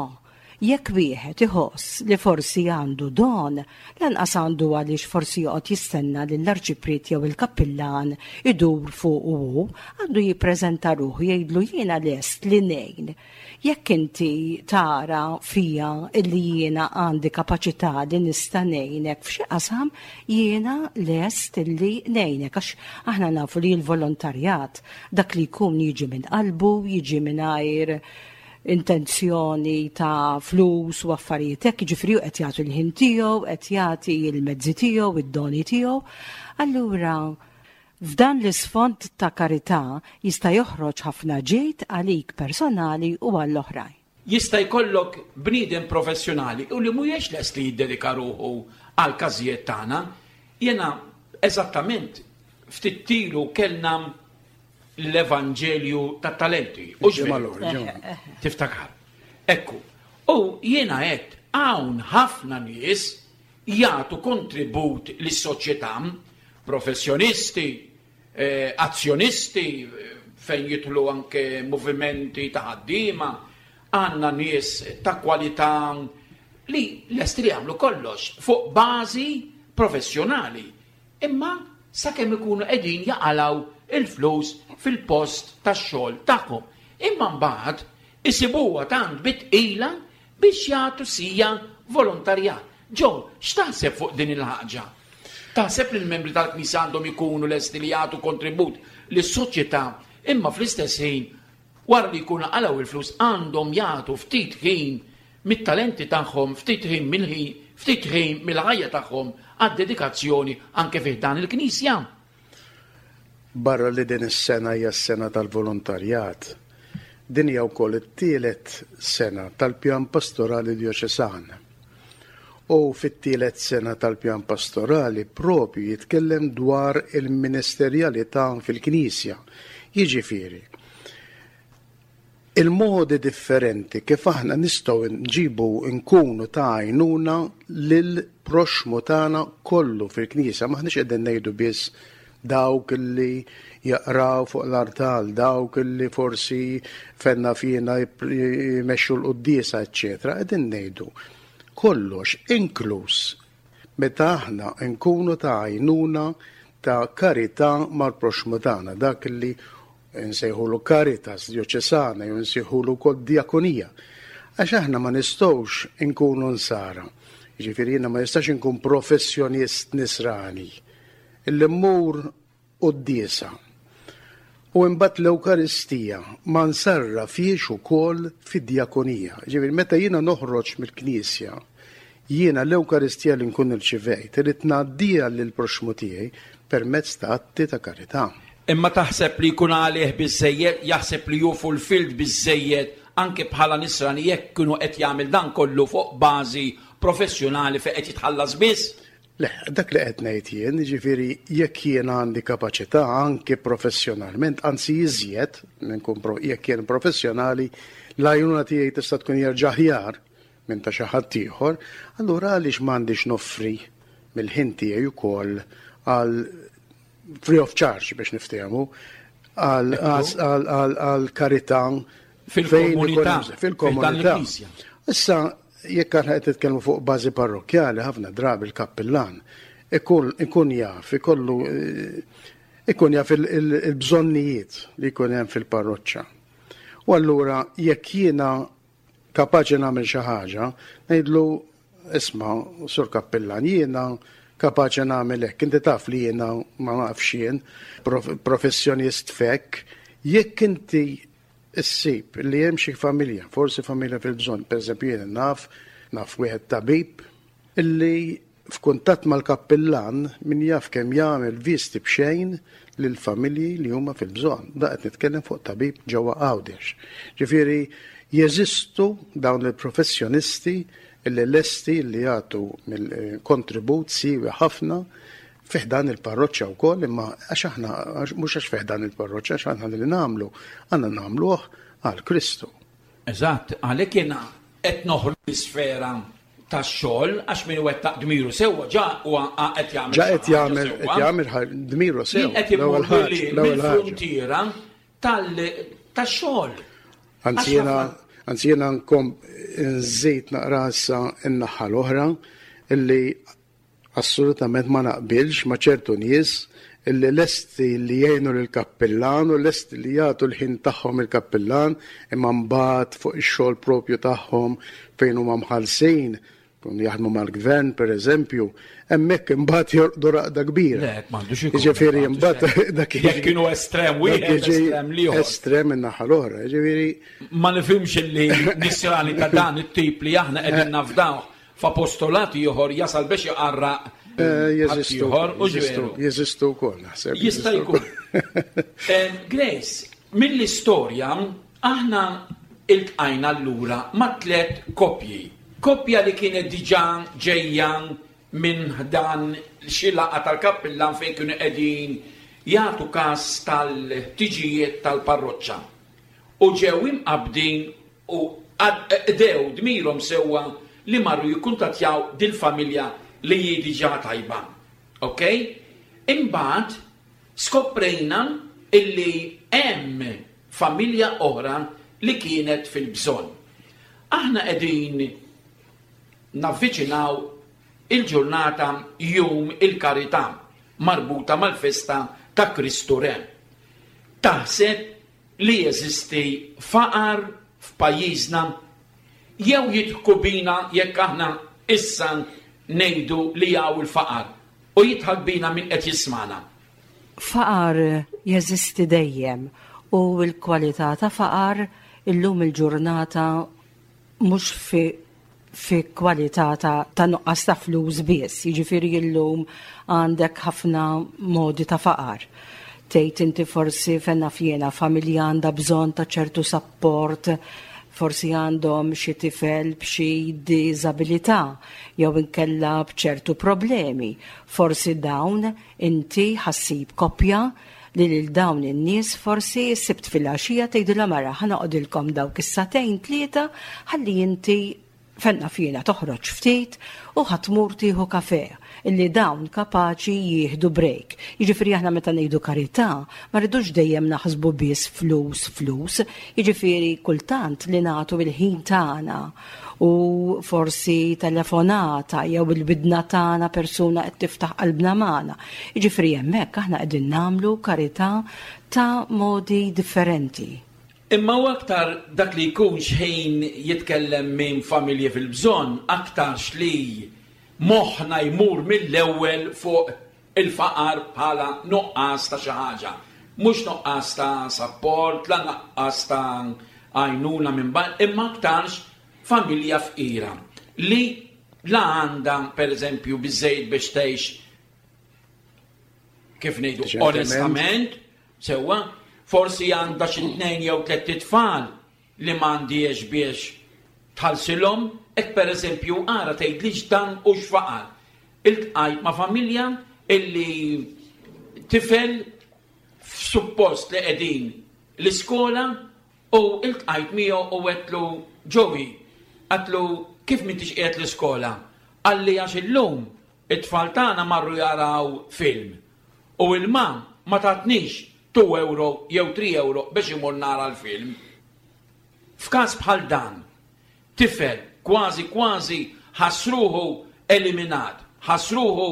jekk wieħed iħoss li forsi għandu don, lanqas għandu għaliex forsi joqgħod jistenna li l-arċipriet jew il-kappillan idur fuq u għandu jippreżenta ruħu jgħidlu jiena lest li ngħin. Jekk inti tara fija illi jiena għandi kapaċità li nista' ngħinek f'xi qasam, jiena lest illi ngħinek, għax aħna nafu li l-volontarjat dak li jkun jiġi minn qalbu, jiġi mingħajr Intenzjoni ta' flus u affarijiet hekk, jiġifieri hu qed jagħti l-ħin tiegħu, qed jagħti l-mezzi tiegħu, id-doni tiegħu. Allura f'dan l-isfond ta' karità jista' joħroġ ħafna ġid għalik personali u għall-oħrajn. Jista' jkollok bniedem professjonali u li mhuwiex lest li jiddedika ruħu għal każijiet tagħna. Jiena eżattament ftit ilu kellna l-Evanġelju tat-talenti. U tiftakar. Ekku. U jiena qed hawn ħafna nies jagħtu kontribut lis-soċjetà, professjonisti, eh, azzjonisti, fejn jidħlu anke movimenti ta' ħaddiema, għandna nies ta' kwalità li lesti li jagħmlu kollox fuq bażi professjonali. Imma sakemm ikunu qegħdin jaqalgħu il-flus fil-post tax-xogħol tagħhom. Imma mbagħad isibuha tant bi tqila biex jagħtu sija volontarjat. Ġo, x'taħseb fuq din il-ħaġa? Taħseb li l-membri tal-Knisja għandhom ikunu lesti li jagħtu kontribut lis-soċjetà, imma fl-istess ħin, wara li jkunu qalgħu il-flus, għandhom jagħtu ftit ħin mit-talenti tagħhom, ftit ħin mill-ħin, ftit ħin mill-ħajja tagħhom għad-dedikazzjoni anke fih dan il-Knisja? Barra li din is-sena hija s-sena tal-volontarjat, din hija wkoll it-tielet sena tal-pjan pastorali djoċesan. U fit-tielet sena tal-pjan pastorali propju jitkellem dwar il-ministerjalità fil-Knisja. Jiġifieri, il-modi differenti kif aħna nistgħu nġibu nkunu ta' għajnuna lil proxmu tagħna kollu fil-Knisja. M'aħniex qegħdin ngħidu biss dawk li jaqraw fuq l-artal, dawk li forsi fenna fina jmexxu l-quddiesa, eċċetera. Qegħdin ngħidu kollox, inkluż meta aħna nkunu ta' għajnuna ta' karità mal-proxmu tagħna, dak li nsejħulu caritas djoċesana jew nsejħulu wkoll diakonija. Għax aħna ma nistgħux inkunu nsara. Jiġifieri jiena ma nistax inkun professjonist nisrani illi mmur quddiesa u imbagħad l-Ewkaristija ma nsarrafhiex ukoll fid-diakonija. Ġifieri meta jiena noħroġ mill-Knisja, jiena l-Ewkaristija li nkun irċivejt irid ngħaddiha lill-proxmu tiegħi permezz ta' atti ta' karità. Imma taħseb li jkun għalih biżejjed, jaħseb li hu fulfilled biżejjed anke bħala nisrani jekk kienu qed jagħmel dan kollu fuq bażi professjonali fejn qed jitħallas biss? Le, dak li qed ngħid jien, jiġifieri jekk jien għandi kapaċità anke professjonalment, anzi iżjed nkun jekk jien professjonali, l-għajnuna tiegħi tista' tkun jerġa' aħjar minn ta' xi ħadd ieħor, allura għaliex m'għandix noffri mill-ħin tiegħi wkoll għal free of charge biex niftehmu għal karità fil-komunità. Fil-komunità. Issa, jekk aħna qed nitkellmu fuq bażi parrokkjali, ħafna drabi l-kappillan ikun ikun jaf, ikollu ikun jaf il-bżonnijiet li jkun hemm fil-parroċċa. U allura jekk jiena kapaċi nagħmel xi ħaġa, ngħidlu isma' sur kappillan, jiena kapaċi nagħmel hekk, inti taf li jiena ma nafx jien, professjonist fek, jekk inti issib li hemm xi familja, forsi familja fil-bżonn, pereżempju jien naf, naf wieħed tabib illi f'kuntatt mal-kappillan min jaf kemm jagħmel visti b'xejn lil familji li huma fil-bżonn. Da qed nitkellem fuq tabib ġewwa Għawdex. Ġifieri jeżistu dawn il-professjonisti illi lesti li jagħtu mill-kontribut siewi ħafna fi ħdan il-parroċċa wkoll, imma għax aħna mhux għax fi ħdan il-parroċċa, għax aħna li nagħmlu għandna nagħmluh għal Kristu. Eżatt, għalhekk jiena qed noħroġ l-isfera tax-xogħol għax min wettaq dmiru sewwa ġa huwa qed jagħmel ġa qed jagħmel qed jagħmel dmiru sew. Qed imur mill-fruntiera tax-xogħol. Anzi jiena anzi jiena nkom nżid naqra issa n-naħa l-oħra illi assolutament ma naqbilx ma' ċertu nies illi lesti li jgħinu lill-kappillan u lesti li jagħtu l-ħin tagħhom il-kappillan, imma mbagħad fuq ix-xogħol propju tagħhom fejn huma mħallsin Kun jaħdmu mal-gvern, per eżempju, hemmhekk imbagħad jorqdu raqda kbira. Le, m'għandux ikun. Jiġifieri imbagħad dak Jekk kienu estrem wieħed, estrem l-ieħor. Estrem in-naħa l-oħra, jiġifieri. Ma nifhimx li nisrani ta' dan it-tip li aħna qegħdin nafdaw f'apostolat ieħor jasal biex iqarraq eh, jeżistu ieħor u ġveru. Jeżistu wkoll naħseb. Jista' jkun. Eh, Grace, mill-istorja aħna iltqajna allura ma' tliet koppji. Koppja li kienet diġà ġejja minn dan xi laqgħa tal-kappillan fejn kienu qegħdin jagħtu każ tal-ħtiġijiet tal-parroċċa. U ġew imqabbdin u qdew dmirhom sewwa li marru jikkuntattjaw dil-familja li hi diġà tajba. Ok? Imbagħad skoprejna illi hemm familja oħra li kienet fil-bżonn. Aħna qegħdin navviċinaw il-ġurnata Jum il-Karità marbuta mal-festa ta' Kristu Re. Taħseb li jeżisti faqar f'pajjiżna jew jidħku bina jekk aħna issa ngħidu li hawn il-faqar u jidħak bina min qed jismagħna? Faqar jeżisti dejjem u l-kwalità ta' faqar illum il-ġurnata mhux fi fi kwalità ta', ta' nuqqas ta' flus biss, jiġifieri illum għandek ħafna modi ta' faqar. Tgħid inti forsi fenna fjena familja għandha bżonn ta' ċertu sapport, forsi għandhom xi tifel b'xi diżabilità jew inkella b'ċertu problemi. Forsi dawn inti ħassib koppja li lil dawn in-nies forsi sibt fil-għaxija tgħidilha mara ħa noqgħodilkom dawk is-sagħtejn tlieta ħalli inti fenna fjena toħroġ ftit u ħa tmur tieħu kafe illi dawn kapaċi jieħdu break. Jiġifieri aħna meta ngħidu karità ma rridux dejjem naħsbu biss flus flus, jiġifieri kultant li nagħtu il-ħin tagħna u forsi telefonata jew il-bidna tagħna persuna qed tiftaħ qalbna magħna. Jiġifieri hemmhekk aħna qegħdin nagħmlu karità ta' modi differenti. Imma u aktar dak li jkun xħin jitkellem minn familji fil-bżonn, aktarx li moħħna jmur mill-ewwel fuq il-faqar bħala nuqqas ta' xi ħaġa. Mhux nuqqas ta' sapport, la nuqqas ta' għajnuna minn barra, imma aktarx familja fqira li la għandha pereżempju biżejjed biex tgħix kif ngħidu onestament, sewwa, forsi għandha xi tnejn jew tliet itfal li m'għandhiex biex tħallsilhom, hekk pereżempju ara tgħidlix dan hux faqar. Iltqajt ma' familja illi tifel f'suppost li qegħdin l-iskola u iltqajt miegħu u għedtlu Joey, għedtlu kif m'intix qiegħed l-iskola? Qalli għax illum it-tfal tagħna marru jaraw film u il-ma ma tatnix two euro jew three euro biex imur nara l-film. F'każ bħal dan, tifel kważi kważi ħassruhu eliminat, ħassruhu,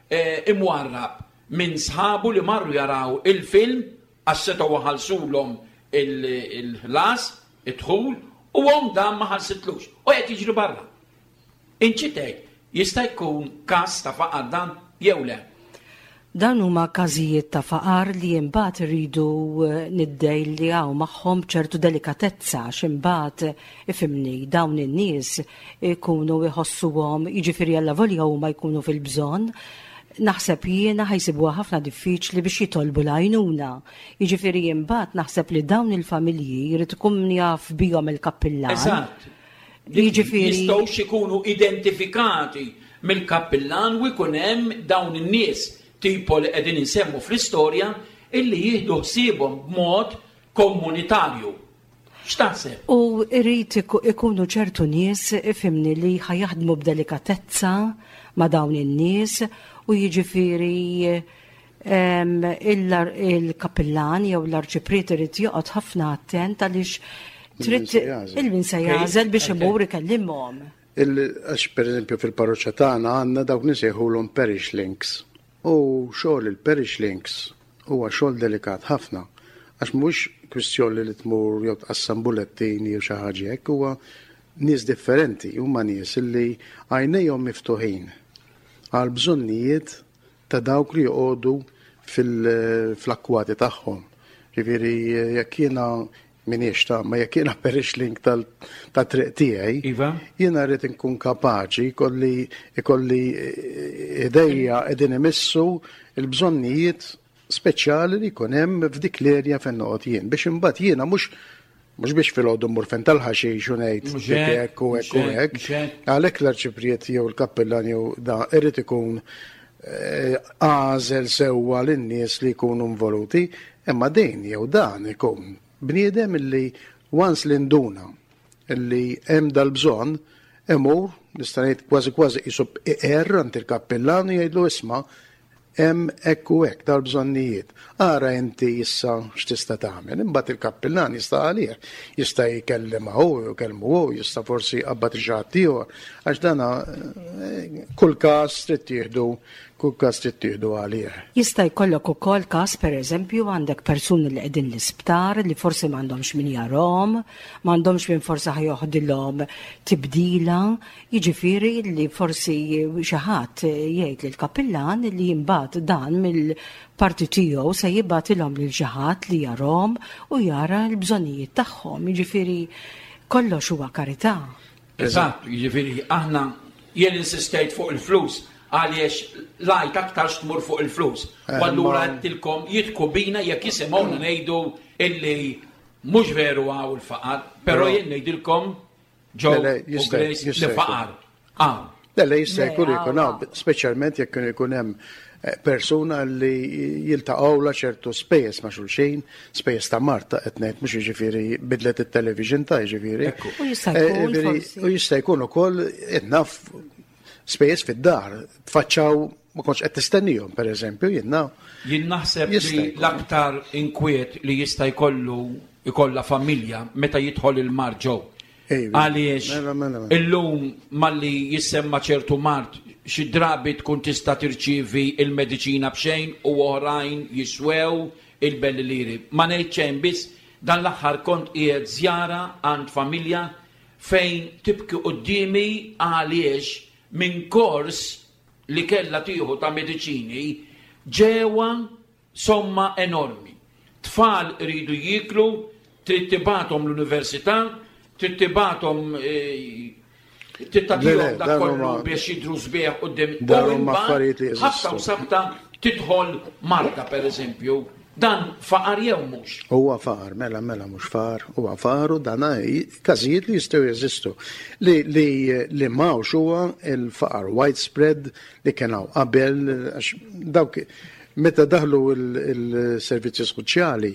eh, imwarrab minn sħabu li marru jaraw il-film għax setgħu ħalsulhom il-ħlas, id-dħul, u għom dan ma ħalsitlux u qed jiġri barra. Inċitek, jista' jkun każ ta' faqar dan jew le? Dan huma każijiet ta' faqar li imbagħad iridu, eh, niddejljaw magħhom ċertu delikatezza għax imbagħad ifimni dawn in-nies ikunu jħossuhom, jiġifieri allavolja huma jkunu fil-bżonn, naħseb jiena ħajsibuha ħafna diffiċli biex jitolbu l-għajnuna. Jiġifieri imbagħad naħseb li dawn il-familji jrid ikun jaf bihom il-kappillan. Eżatt. Jiġifieri jistgħux ikunu identifikati mill-kappillan u jkun hemm dawn in-nies tipo li qegħdin insemmu fl-istorja illi jieħdu ħsiebhom b'mod komunitarju. X'taħseb? U irrid iku-, ikunu ċertu nies ifhimni li ħajaħdmu b'delikatezza ma' dawn in-nies u jiġifieri, em, il-, il-kappillan jew l-arċipriet irid joqgħod ħafna attent għaliex Il-min trid se jagħżel. il-min se jagħżel biex imur ikellimhom. Il-, għax pereżempju fil-parroċċa tagħna għandna dawk nisejħulhom parish links. U xogħol il-parish links huwa xogħol delikat ħafna għax mhux kwistjoni li tmur jew tqassam bulettini jew xi ħaġa hekk, huwa nies differenti, huma nies illi għajnejhom miftuħin għal bżonnijiet ta' dawk li joqogħdu fil-akkwati tagħhom. Ġifieri jekk jiena minix ta' ma jekk jiena parish link tal-triq tiegħi, Iva. jiena rrid inkun kapaċi ikolli ikolli idejja qegħdin imissu il-bżonnijiet speċjali li jkun hemm f'dik l-erja fejn noqgħod jien biex imbagħad jiena mhux mhux biex filgħodu mmur fejn tal-ħaxix u ngħid Mhux hekk, hekk u hekk u mhux hekk, hekk. mhux hekk. Għalhekk l-arċipriet jew il-kappellan jew da irid ikun eh, għażel sewwa lin-nies li jkunu involuti, imma din jew dan ikun bniedem illi once li nduna illi hemm dal-bżonn imur nista' ngħid kważi kważi qisu iqerr għand il-kappellan u jgħidlu isma' hemm hekk u hekk dal-bżonnijiet. Ara inti issa x'tista' tagħmel. Imbagħad il-kappellan jista' għalih, jista' jkellem hu, jkellmu hu, jista' forsi jqabbad xi ħadd ieħor. Għax dana eh, kull każ trid tieħdu, kull każ trid tieħdu għalih. Jista' jkollok ukoll każ pereżempju għandek persuni li qegħdin l-isptar li forsi m'għandhomx min jarahom, m'għandhomx min forsi ħa joħdilhom tibdila, jiġifieri li forsi xi ħadd jgħid lil kappillan li imbagħad dan mill-parti tiegħu se jibgħatilhom lil xi ħadd li jarahom u jara l-bżonnijiet tagħhom. Jiġifieri kollox huwa karità. Eżatt, jiġifieri aħna jien insistejt fuq il-flus għaliex lajt aktar tmur fuq il-flus. Eh, U allura ma- għedtilkom jidħku bina jekk jisimgħuna ngħidu illi mhux veru hawn il-faqar, però Però- jien ngħidilkom Joe Le, le, u jista' Grace jista' li jkun. faqar. Hawn. Le, le, jista' Le, jkun jkun hawn, hawn, speċjalment jekk ikun hemm eh, persuna li jiltaqgħu ċertu spejjeż ma' xulxin, spejjeż ta' Marta qed ngħid mhux jiġifieri bidlet it-television ta' jiġifieri. Ekku. U jista' Eh, jkun jiġifieri, forsi. U jista' jkun ukoll qed naf spejjeż fid-dar, tfaċċaw ma kontx qed tistennihom pereżempju, jien naf. Jien naħseb Jista' li jkun. l-aktar inkwiet li jista' jkollu ikolla familja meta jidħol il-mard ġew. Ejwa. Għaliex Mela, mela, mela. illum malli jissemma ċertu mard xi drabi tkun tista' tirċievi il-mediċina b'xejn u oħrajn jiswew il-belli liri. Ma ngħid xejn biss dan l-aħħar kont qiegħed żjara għand familja fejn tibki quddiemi għaliex minn kors li kella tieħu ta' mediċini ġewwa somma enormi. Tfal iridu jiklu, trid tibgħathom l-università, trid tibgħathom eh, trid Le, tagħtihom le, dak dan kollu huma- biex jidru sbieħ quddiem. Dan U huma imbagħad, affarijiet li jeżistu. ħabta u sabta tidħol Marta per eżempju, dan faqar jew mhux. Huwa faqar, mela, mela, mhux faqar, huwa faqar u dan każijiet li jistgħu jeżistu. Li, li, li m'hawnx huwa il-faqar widespread li kien hawn qabel, għax dawk meta daħlu il-servizzi soċjali,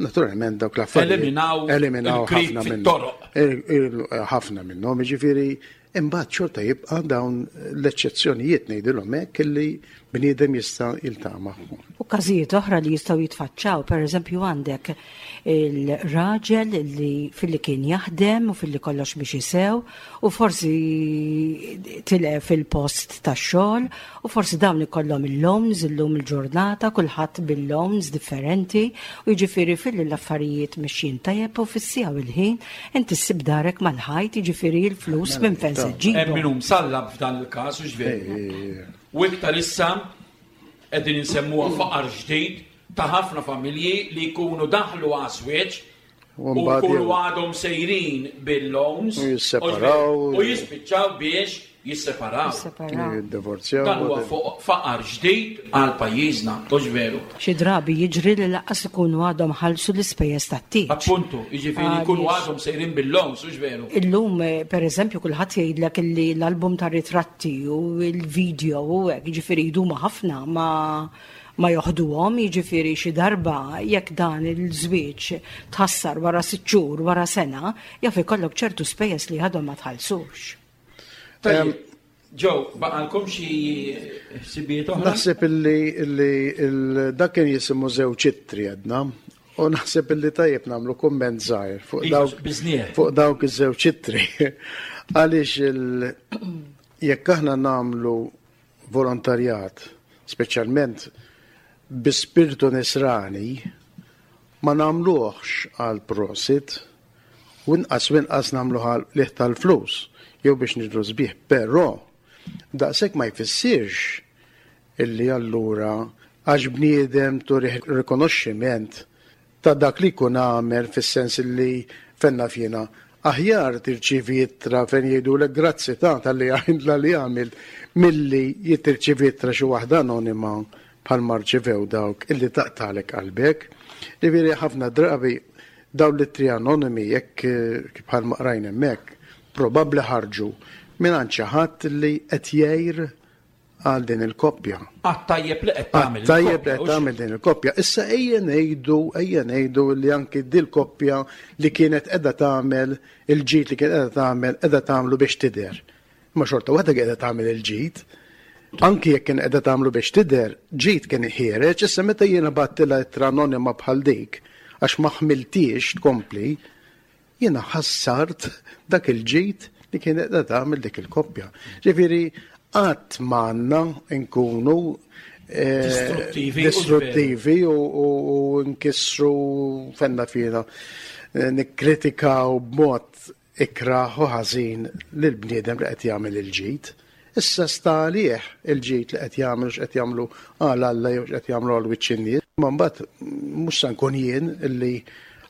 naturalment dawk l-affarijiet. Eliminaw eliminaw il-krip ħafna minnhom. fit-toroq. Il- il- ħafna minnhom, jiġifieri imbagħad xorta jibqa' dawn l-eċċezzjonijiet ngħidilhom hekk illi bniedem jista' jiltaqa' magħhom. U każijiet oħra li jistgħu jitfaċċaw, per eżempju għandek il-raġel li filli kien jaħdem u filli kollox biex jisew u forsi tilef il-post tax-xogħol u forsi dawn ikollhom il-loans illum il-ġurnata, kulħadd bil-loans differenti u jiġifieri filli l-affarijiet mixjin tajjeb u fis-siegħa u l-ħin inti ssib darek mal-ħajt jiġifieri l-flus minn fejn se Hemm ġġibhom. min hu msallab f'dan il-każ u x'veru. U iktar issa qegħdin insemmuha faqar ġdid ta' ħafna familji li jkunu daħlu għaż-żwieġ U u mbagħad jkunu jew- għadhom sejrin bil-loans U jisseparaw. u jispiċċaw biex jisseparaw. Jisseparaw. Jiddivorzjaw. Dan huwa fuq faqar ġdid għal pajjiżna, hux veru. Xi drabi jiġri li lanqas ikunu għadhom ħallsu l-ispejjeż tat-tieġ. Appuntu, jiġifieri jkunu Għaliex- għadhom sejrin bil-loans, hux veru. Illum, eh, per eżempju, kulħadd jgħidlek illi l-album ta' ritratti u l-video u hekk, jiġifieri jduma ħafna ma ma joħduhom, jiġifieri xi darba jekk dan il-żwieġ tħassar wara sitt xhur, wara sena, jaf ikollok ċertu spejjeż li għadhom ma tħallsux. Tajjeb, Joe, baqalkom xi ħsibijiet oħra? Naħseb illi illi il- dak kien jisimu żewġ ittri għedna u naħseb illi tajjeb nagħmlu kumment żgħir fuq Iva, dawk biżnieħ. fuq dawk iż-żewġ ittri. Għaliex il jekk aħna nagħmlu volontarjat, speċjalment bi spirtu nisrani, ma nagħmluhx għal prosit U inqas u inqas nagħmluha liħ tal-flus jew biex nidhru sbieħ, però daqshekk ma jfissirx illi allura għax bniedem turih rikonoxximent ta' dak li jkun għamel, fis-sens li fenna fjena aħjar tirċivi ittra fejn jgħidulek grazzi ta' tal-li għamil li għamil milli jitirċivi ittra xi waħda anonima bħal rċivew dawk illi taqtalek qalbek. Ġifieri ħafna drabi dawn l-ittri anonimi, jekk bħal ma qrajna hemmhekk, probabbli ħarġu minn xi ħadd li qed jgħir għal din il-koppja. Għat-tajjeb li qed tagħmel. Tajjeb li qed tagħmel din il-koppja. Issa ejja ngħidu, ejja ngħidu li anki dil koppja li kienet qiegħda tagħmel il-ġid li kienet qiegħda tagħmel qiegħda tagħmlu biex tidher. Ma xorta waħda qiegħda tagħmel il-ġid. Anki jekk kien qiegħda tagħmlu biex tidher, ġid kien ħiereġ, issa meta jiena bgħattilha ittra anonima bħal dik għax ma ħmiltiex tkompli, jiena ħassart dak il-ġid li kienet qiegħda tagħmel dik il-koppja. Ġifieri qatt m'għandna nkunu eh, Distruttivi, distruttivi u, u, u nkissru fenna fina, eh, nikkritikaw b'mod ikraħ u ħażin lil bniedem li qed jagħmel il-ġid. Issa sta għalih il-ġid li qed jagħmlu, x'qed jagħmlu għal Alla jew x'qed jagħmlu għal wiċċ in-nies. Ma mbagħad mhux se nkun jien illi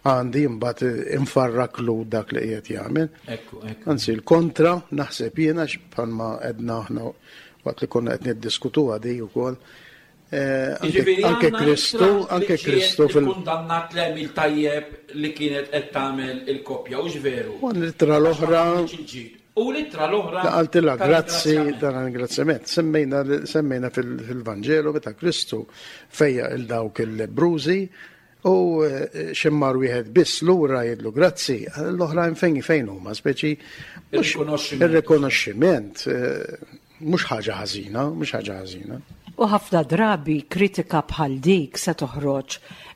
għandi mbagħad infarraklu dak li qiegħed jagħmel. Ekku, ekku. Anzi, l-kontra, naħseb jiena, bħalma għedna aħna waqt li konna qed niddiskutu di wkoll. Eh, anke Jiġifieri anke għandna Kristu, ittra anke li ġiet Kristu fil- ikkundannat l-għemil tajjeb li kienet qed tagħmel il-koppja, u veru? U l-ittra l-oħra U l-ittra l-oħra qaltilha grazzi tal-ringrazzjament. Dan ringrazzjament. Semmejna semmejna fil- fil-Vanġelu meta Kristu fejjaq 'il dawk il-lebbrużi u eh, x'immar wieħed biss lura jgħidlu grazzi, l-oħrajn fejn fejn huma, speċi mhux- Ir-rikonoxximent. Ir-rikonoxximent eh, mhux ħaġa ħażina, mhux ħaġa ħażina. U ħafna drabi kritika bħal dik se toħroġ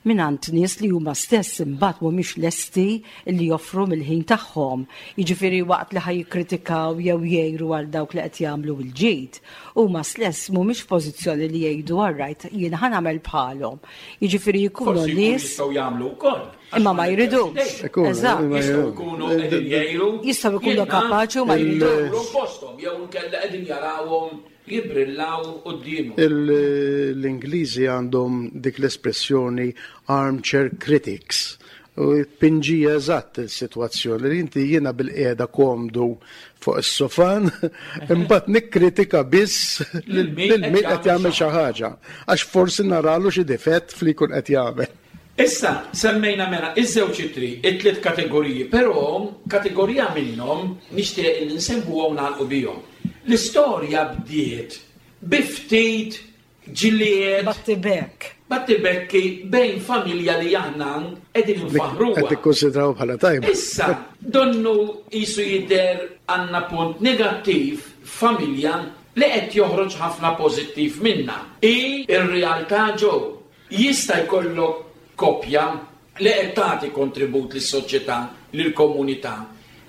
mingħand nies li huma stess imbagħad mhumiex lesti li joffru mill-ħin tagħhom. Jiġifieri waqt li ħa jikkritikaw jew jgħiru għal dawk li qed jagħmlu l-ġid, huma stess mhumiex f'pożizzjoni li jgħidu, "Alright, jien ħa nagħmel bħalhom." Jiġifieri jkunu Forsi jkunu nies jistgħu jagħmlu wkoll. Imma ma jridux. Ikunu, Eżatt. imma Jistgħu jkunu qegħdin jgħiru. Jistgħu jkunu jien naf kapaċi u ma il- jridux. Posthom jew inkella qegħdin jarawhom jibrillaw quddiemhom. Il- L-Ingliżi għandhom dik l-espressjoni "armchair critics". U pinġija eżatt il-sitwazzjoni li inti jiena bilqiegħda komdu fuq is-sofan, imbagħad nikkritika biss lil min min qed jagħmel xi ħaġa, għax forsi naralu xi difett fli jkun qed jagħmel. Issa, semmejna mela iż-żewġ ittri, it-tliet kategoriji, però kategorija minnhom nixtieq li nsemmuhom, nagħlqu bihom. L-istorja bdiet bi ftit ġlied, Battibek. battibekki bejn familja li aħna qegħdin nfaħruha. Qed tikkonsidraw bħala tajba. Issa, donnu jisu jidher għandna punt negattiv, familja li qed joħroġ ħafna pożittiv minna. I ir-realtà ġew. Jista' jkollok koppja li qed tagħti kontribut lis-soċjetà, lill-komunità,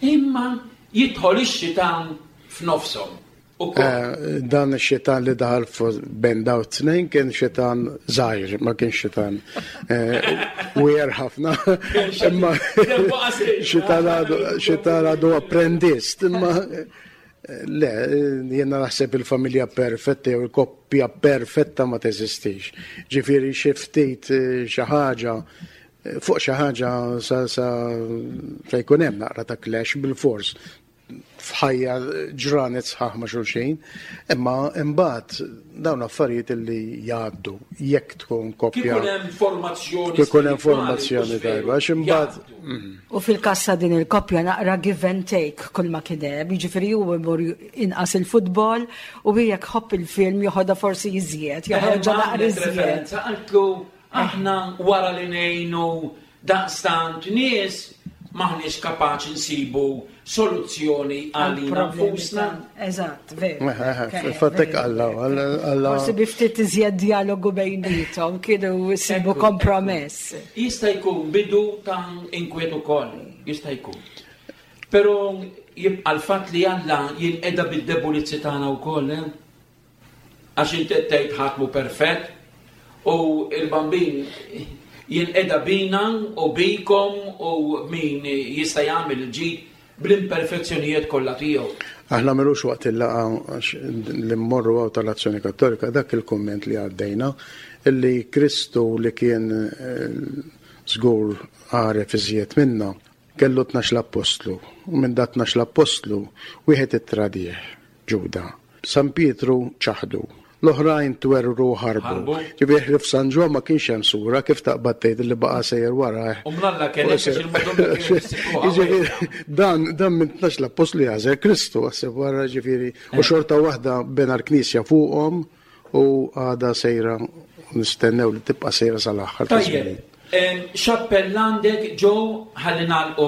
imma jidħol ix-xitan f'nofshom ukoll. Eh, Dan ix-xitan li daħal fu- bejn daw t-tnejn kien xitan żgħir, ma kienx xitan wier ħafna. Imma xitan għadu xitan għadu apprendist. Imma eh, le, jiena naħseb il-familja perfetta jew il-koppja perfetta ma teżistix. Ġifieri xi ftit eh, xi ħaġa eh, fuq xi ħaġa sa sa sa jkun hemm naqra ta' clash bil-fors f'ħajja ġranet sħaħ ma' xulxin, imma imbagħad dawn affarijiet li jgħaddu jekk tkun koppja. Kif ikun hemm formazzjoni Kif ikun hemm spiritwali, formazzjoni hux veru, tajba, għax imbagħad jgħaddu. U fil-każ ta' din il-koppja naqra give and take kull ma kien hemm, jiġifieri hu imur inqas il-futbol u hi jekk ħobb il-film joħodha forsi iżjed, joħroġha naqra Għamlet iżjed. referenza, qaltlu aħna wara li ngħinu daqstant nies maħniex kapaċi nsibu soluzzjoni għalina Għal-problemi nfusna. ta' Eżatt, veru. Eh, eh, Ke- Fil-fatt hekk veru. Alla, Alla, Alla Forsi bi ftit iżjed dialogu bejniethom kienu jsibu Ekku, kompromess. Jista' jkun bidu ta' inkwiet ukoll, jista' jkun. Però jibqa' l-fatt li Alla jinqeda bid-debolizzi tagħna wkoll, eh? Għax inti qed tgħid ħadd mhu perfett u il-Bambin Jinqeda bina u bikom u min jista' jagħmel il-ġid bl-imperfezzjonijiet kollha tiegħu. Aħna m'ilux waqt il-laqgħa li mmorru hawn tal-Azzjoni Kattolika dak il-kumment li għaddejna illi Kristu li kien żgur għaref iżjed minna kellu tnax l-appostlu u minn dat tnax l-appostlu wieħed ittradih, Ġuda. San Pietru ċaħdu. L-oħrajn twerru ħarbu. Ġifieri ħlief San Ġwann ma kienx hemm sura kif taqbad tgħid li baqa' sejjer warajh. U mnalla kien hekk għax il-Madonna kienet issibruha. Ġifieri dan dan minn tnax l-appostlu jagħżel Kristu għaseb wara ġifieri u xorta waħda bena l-Knisja fuqhom u għadha sejra nistennew li tibqa' sejra sal-aħħar ta' żmien. Tajjeb, x'appell għandek Joe ħalli nagħlqu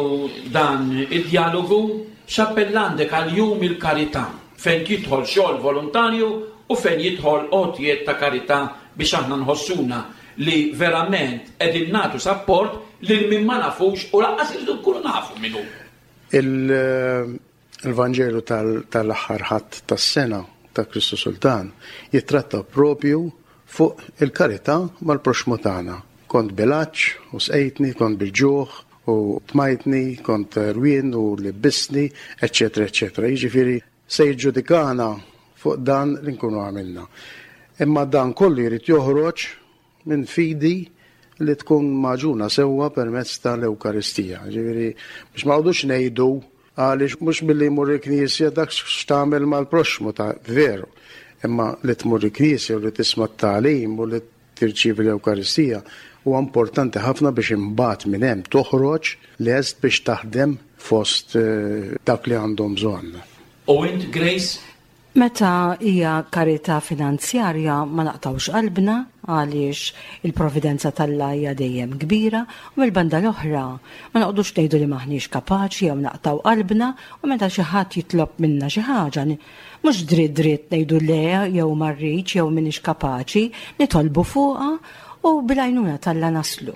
dan id-dialogu, x'appell għandek għal jum il-karità fejn jidħol xogħol volontarju u fejn jidħol għotjiet ta' karità biex aħna nħossuna li verament qegħdin nagħtu sapport lil min ma nafux u lanqas irridu nkunu nafu min hu. Il-Vanġelu tal-aħħar ħadd tas-sena ta' Kristu Sultan jitratta propju fuq il-karità mal-proxxmu tagħna. Kont bil-għatx u sqejtni, kont bil-ġuħ u tmajtni, kont rwien u libbisni, eċċetera, eċċetera. Jiġifieri se jiġġudikana fuq dan li nkunu għamilna. Imma dan kollu jrid joħroġ minn fidi li tkun maġuna sewwa permezz tal-Ewkaristija. Ġifieri biex ma qogħdux ngħidu għaliex mhux billi jmur il-Knisja dak x'tagħmel mal-proxxmu ta' veru. Imma li tmur il-Knisja u li tisma' t-tagħlim u li tirċievi l-Ewkaristija huwa importanti ħafna biex imbagħad minn hemm toħroġ lest biex taħdem fost dak li għandhom bżonn. U int, Grace? Meta hija karità finanzjarja ma naqtawx qalbna għaliex il-providenza t'Alla hija dejjem kbira u mill-banda l-oħra ma noqogħdux ngħidu li maħniex kapaċi jew naqtaw qalbna u meta xi ħadd jitlob minna xi ħaġa mhux dritt dritt ngħidu le jew ma rridx jew m'iniex kapaċi, nitolbu fuqha u bil-għajnuna t'Alla naslu.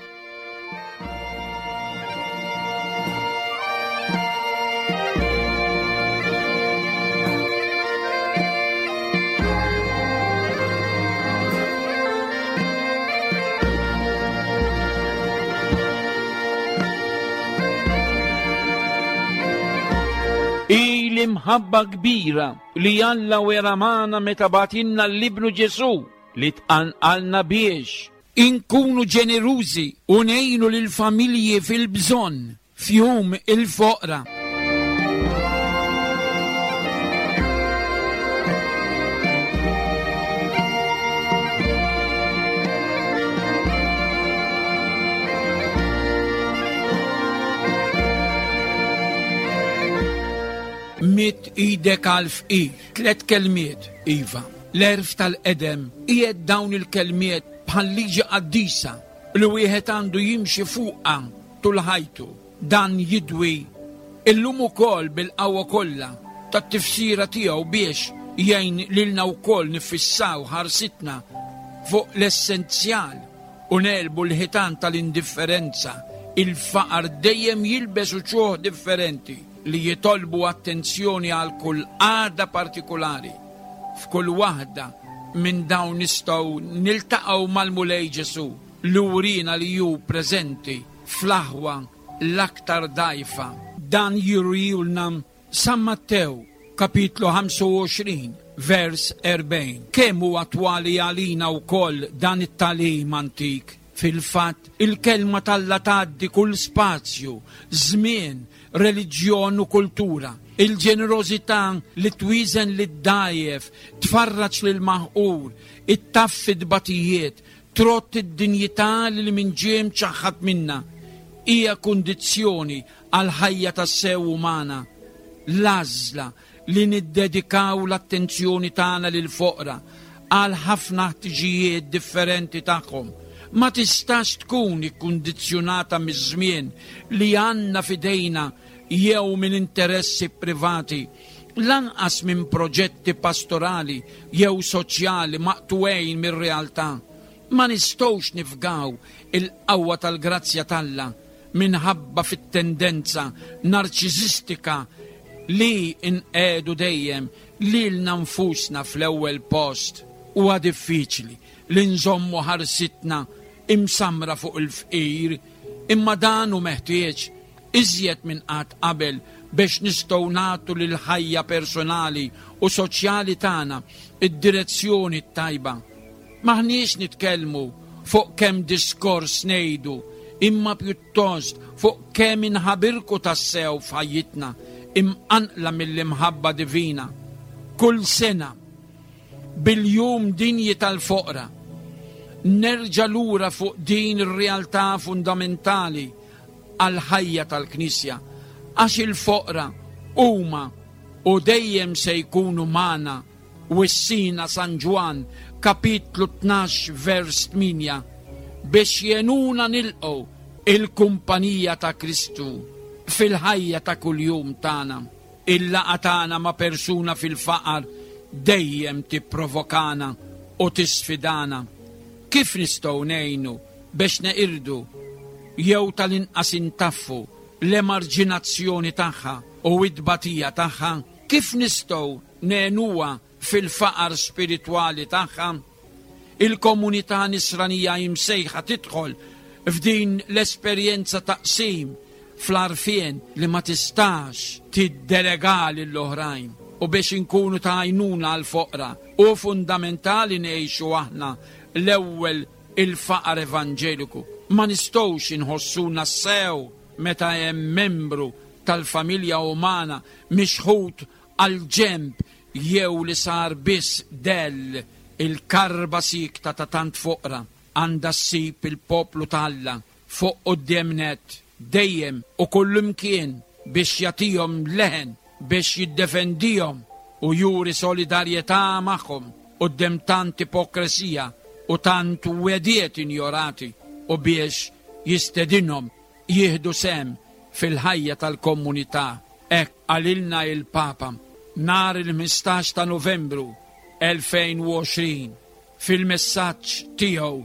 L-imħabba kbira li Alla wera magħna meta bagħtilna l-Ibnu Ġesù li tqanqalna biex inkunu ġenerużi u ngħinu lill-familji fil-bżonn f'jum il-foqra. Mitt idek għal fqir, tlet kelmiet, iva. L-erf tal-qedem qiegħed dawn il-kelmiet bħal liġi qaddisa li wieħed għandu jimxi fuqha tul ħajtu. Dan jidwi illum ukoll bil-qawwa kollha tat-tifsira tiegħu biex jgħin lilna wkoll nifissaw ħarsitna fuq l-essenzjal u nelbu l-ħitan tal-indifferenza. Il-faqar dejjem jilbes uċuħ differenti li jitolbu attenzjoni għal kull għada partikolari. F'kull waħda minn dawn nistgħu niltaqgħu mal-Mulej Ġesù li wrina li hu preżenti fl-aħwa l-aktar dgħajfa. Dan jurihulna San Mattew kapitlu ħamsa u għoxrin vers erbgħin. Kemm hu attwali għalina wkoll dan it-tagħlim antik. Fil-fatt, il-kelma t'Alla tgħaddi kull spazju, żmien, reliġjon u kultura. Il-ġenerożità li twieżen lid-dgħajjef, tfarraġ lil-maħqur, ittaffi d-batijiet, trott id-dinjità li min ġie mċaħħad minna. Hija kundizzjoni għal ħajja tas-sew umana. L-għażla li niddedikaw l-attenzjoni tagħna lil-foqra għal ħafna ħtiġijiet differenti tagħhom ma tistax tkun ikkundizzjonata miż-żmien li għandna f'idejna jew minn interessi privati, lanqas minn proġetti pastorali jew soċjali maqtugħin mir-realtà. Ma nistgħux nifgaw il-qawwa tal-grazzja t'Alla minħabba fit-tendenza narċisistika li nqegħdu dejjem lilna nfusna fl-ewwel post. Huwa diffiċli li nżommu ħarsitna imsamra fuq il-fqir, imma dan hu meħtieġ iżjed minn qatt qabel biex nistgħu nagħtu lill-ħajja personali u soċjali tagħna id-direzzjoni t-tajba. M'aħniex nitkellmu fuq kemm diskors ngħidu, imma pjuttost fuq kemm inħabirku tassew f'ħajjitna imqanqla mill-imħabba divina. Kull sena bil-jum dinji tal-foqra nerġa' lura fuq din ir-realtà fundamentali għall-ħajja tal-Knisja, għax il-foqra huma u dejjem se jkunu magħna, wissina San Ġwann kapitlu tnax vers tmienja, biex jenuna nilqgħu il-kumpanija ta' Kristu fil-ħajja ta' kuljum tagħna. Il-laqgħa tagħna ma' persuna fil-faqar dejjem tipprovokana u tisfidana. Kif nistgħu ngħinu biex neqirdu jew tal-inqas intaffu l-emarġinazzjoni tagħha u t-tbatija tagħha? Kif nistgħu ngħinuha fil-faqar spiritwali tagħha? Il-komunità nisranija imsejħa tidħol f'din l-esperjenza taqsim fl-għarfien li ma tistax tiddelega lill-oħrajn, u biex inkunu ta' għajnuna għall-foqra u fundamentali ngħixu aħna l-ewwel il-faqar evanġeliku. Ma nistgħux inħossuna sew meta hemm membru tal-familja umana mixħut għal ġemb jew li sar biss dell. Il-karba sikta ta' tant foqra għandha ssib il-poplu t'Alla fuq quddiem nett dejjem u kullimkien biex jagħtihom leħen, biex jiddefendihom u juri solidarjetà magħhom quddiem tant ipokresija u tant wediet injorati, u biex jistedinhom jieħdu sehem fil-ħajja tal-komunità. Hekk qalilna il-Papa nhar il-ħmistax ta' Novembru elfejn u għoxrin fil-messaġġ tiegħu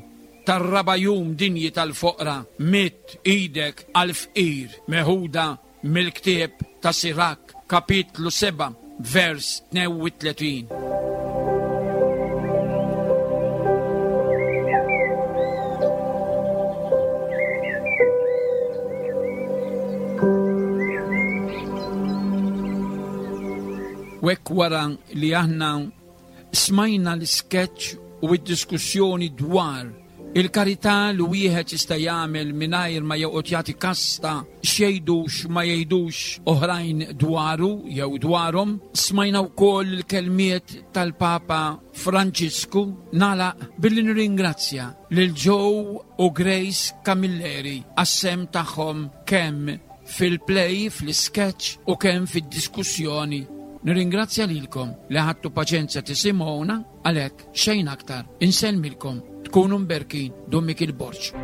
tar-raba' jum dinji tal-foqra, mitt idek għall-fqir, meħuda mill-ktieb ta' Sirak, kapitlu seba', vers tnejn u tletin. U hekk wara li aħna smajna l-sketch u d-diskussjoni dwar il-karità li wieħed jista' jagħmel mingħajr ma joqgħod jagħti kasta x'jgħidux ma jgħidux oħrajn dwaru jew dwarhom, smajna wkoll il-kelmiet tal-Papa Franġisku. Nagħlaq billi nirringrazzja lil Joe u Grace Camilleri għas-sehem tagħhom kemm fil-play, fl-sketch u kemm fid-diskussjoni. Nirringrazzja lilkom li ħadtu paċenzja tisimgħuna, għalhekk xejn aktar insellmilkom, tkunu mberkin. Dun Mikiel Borg.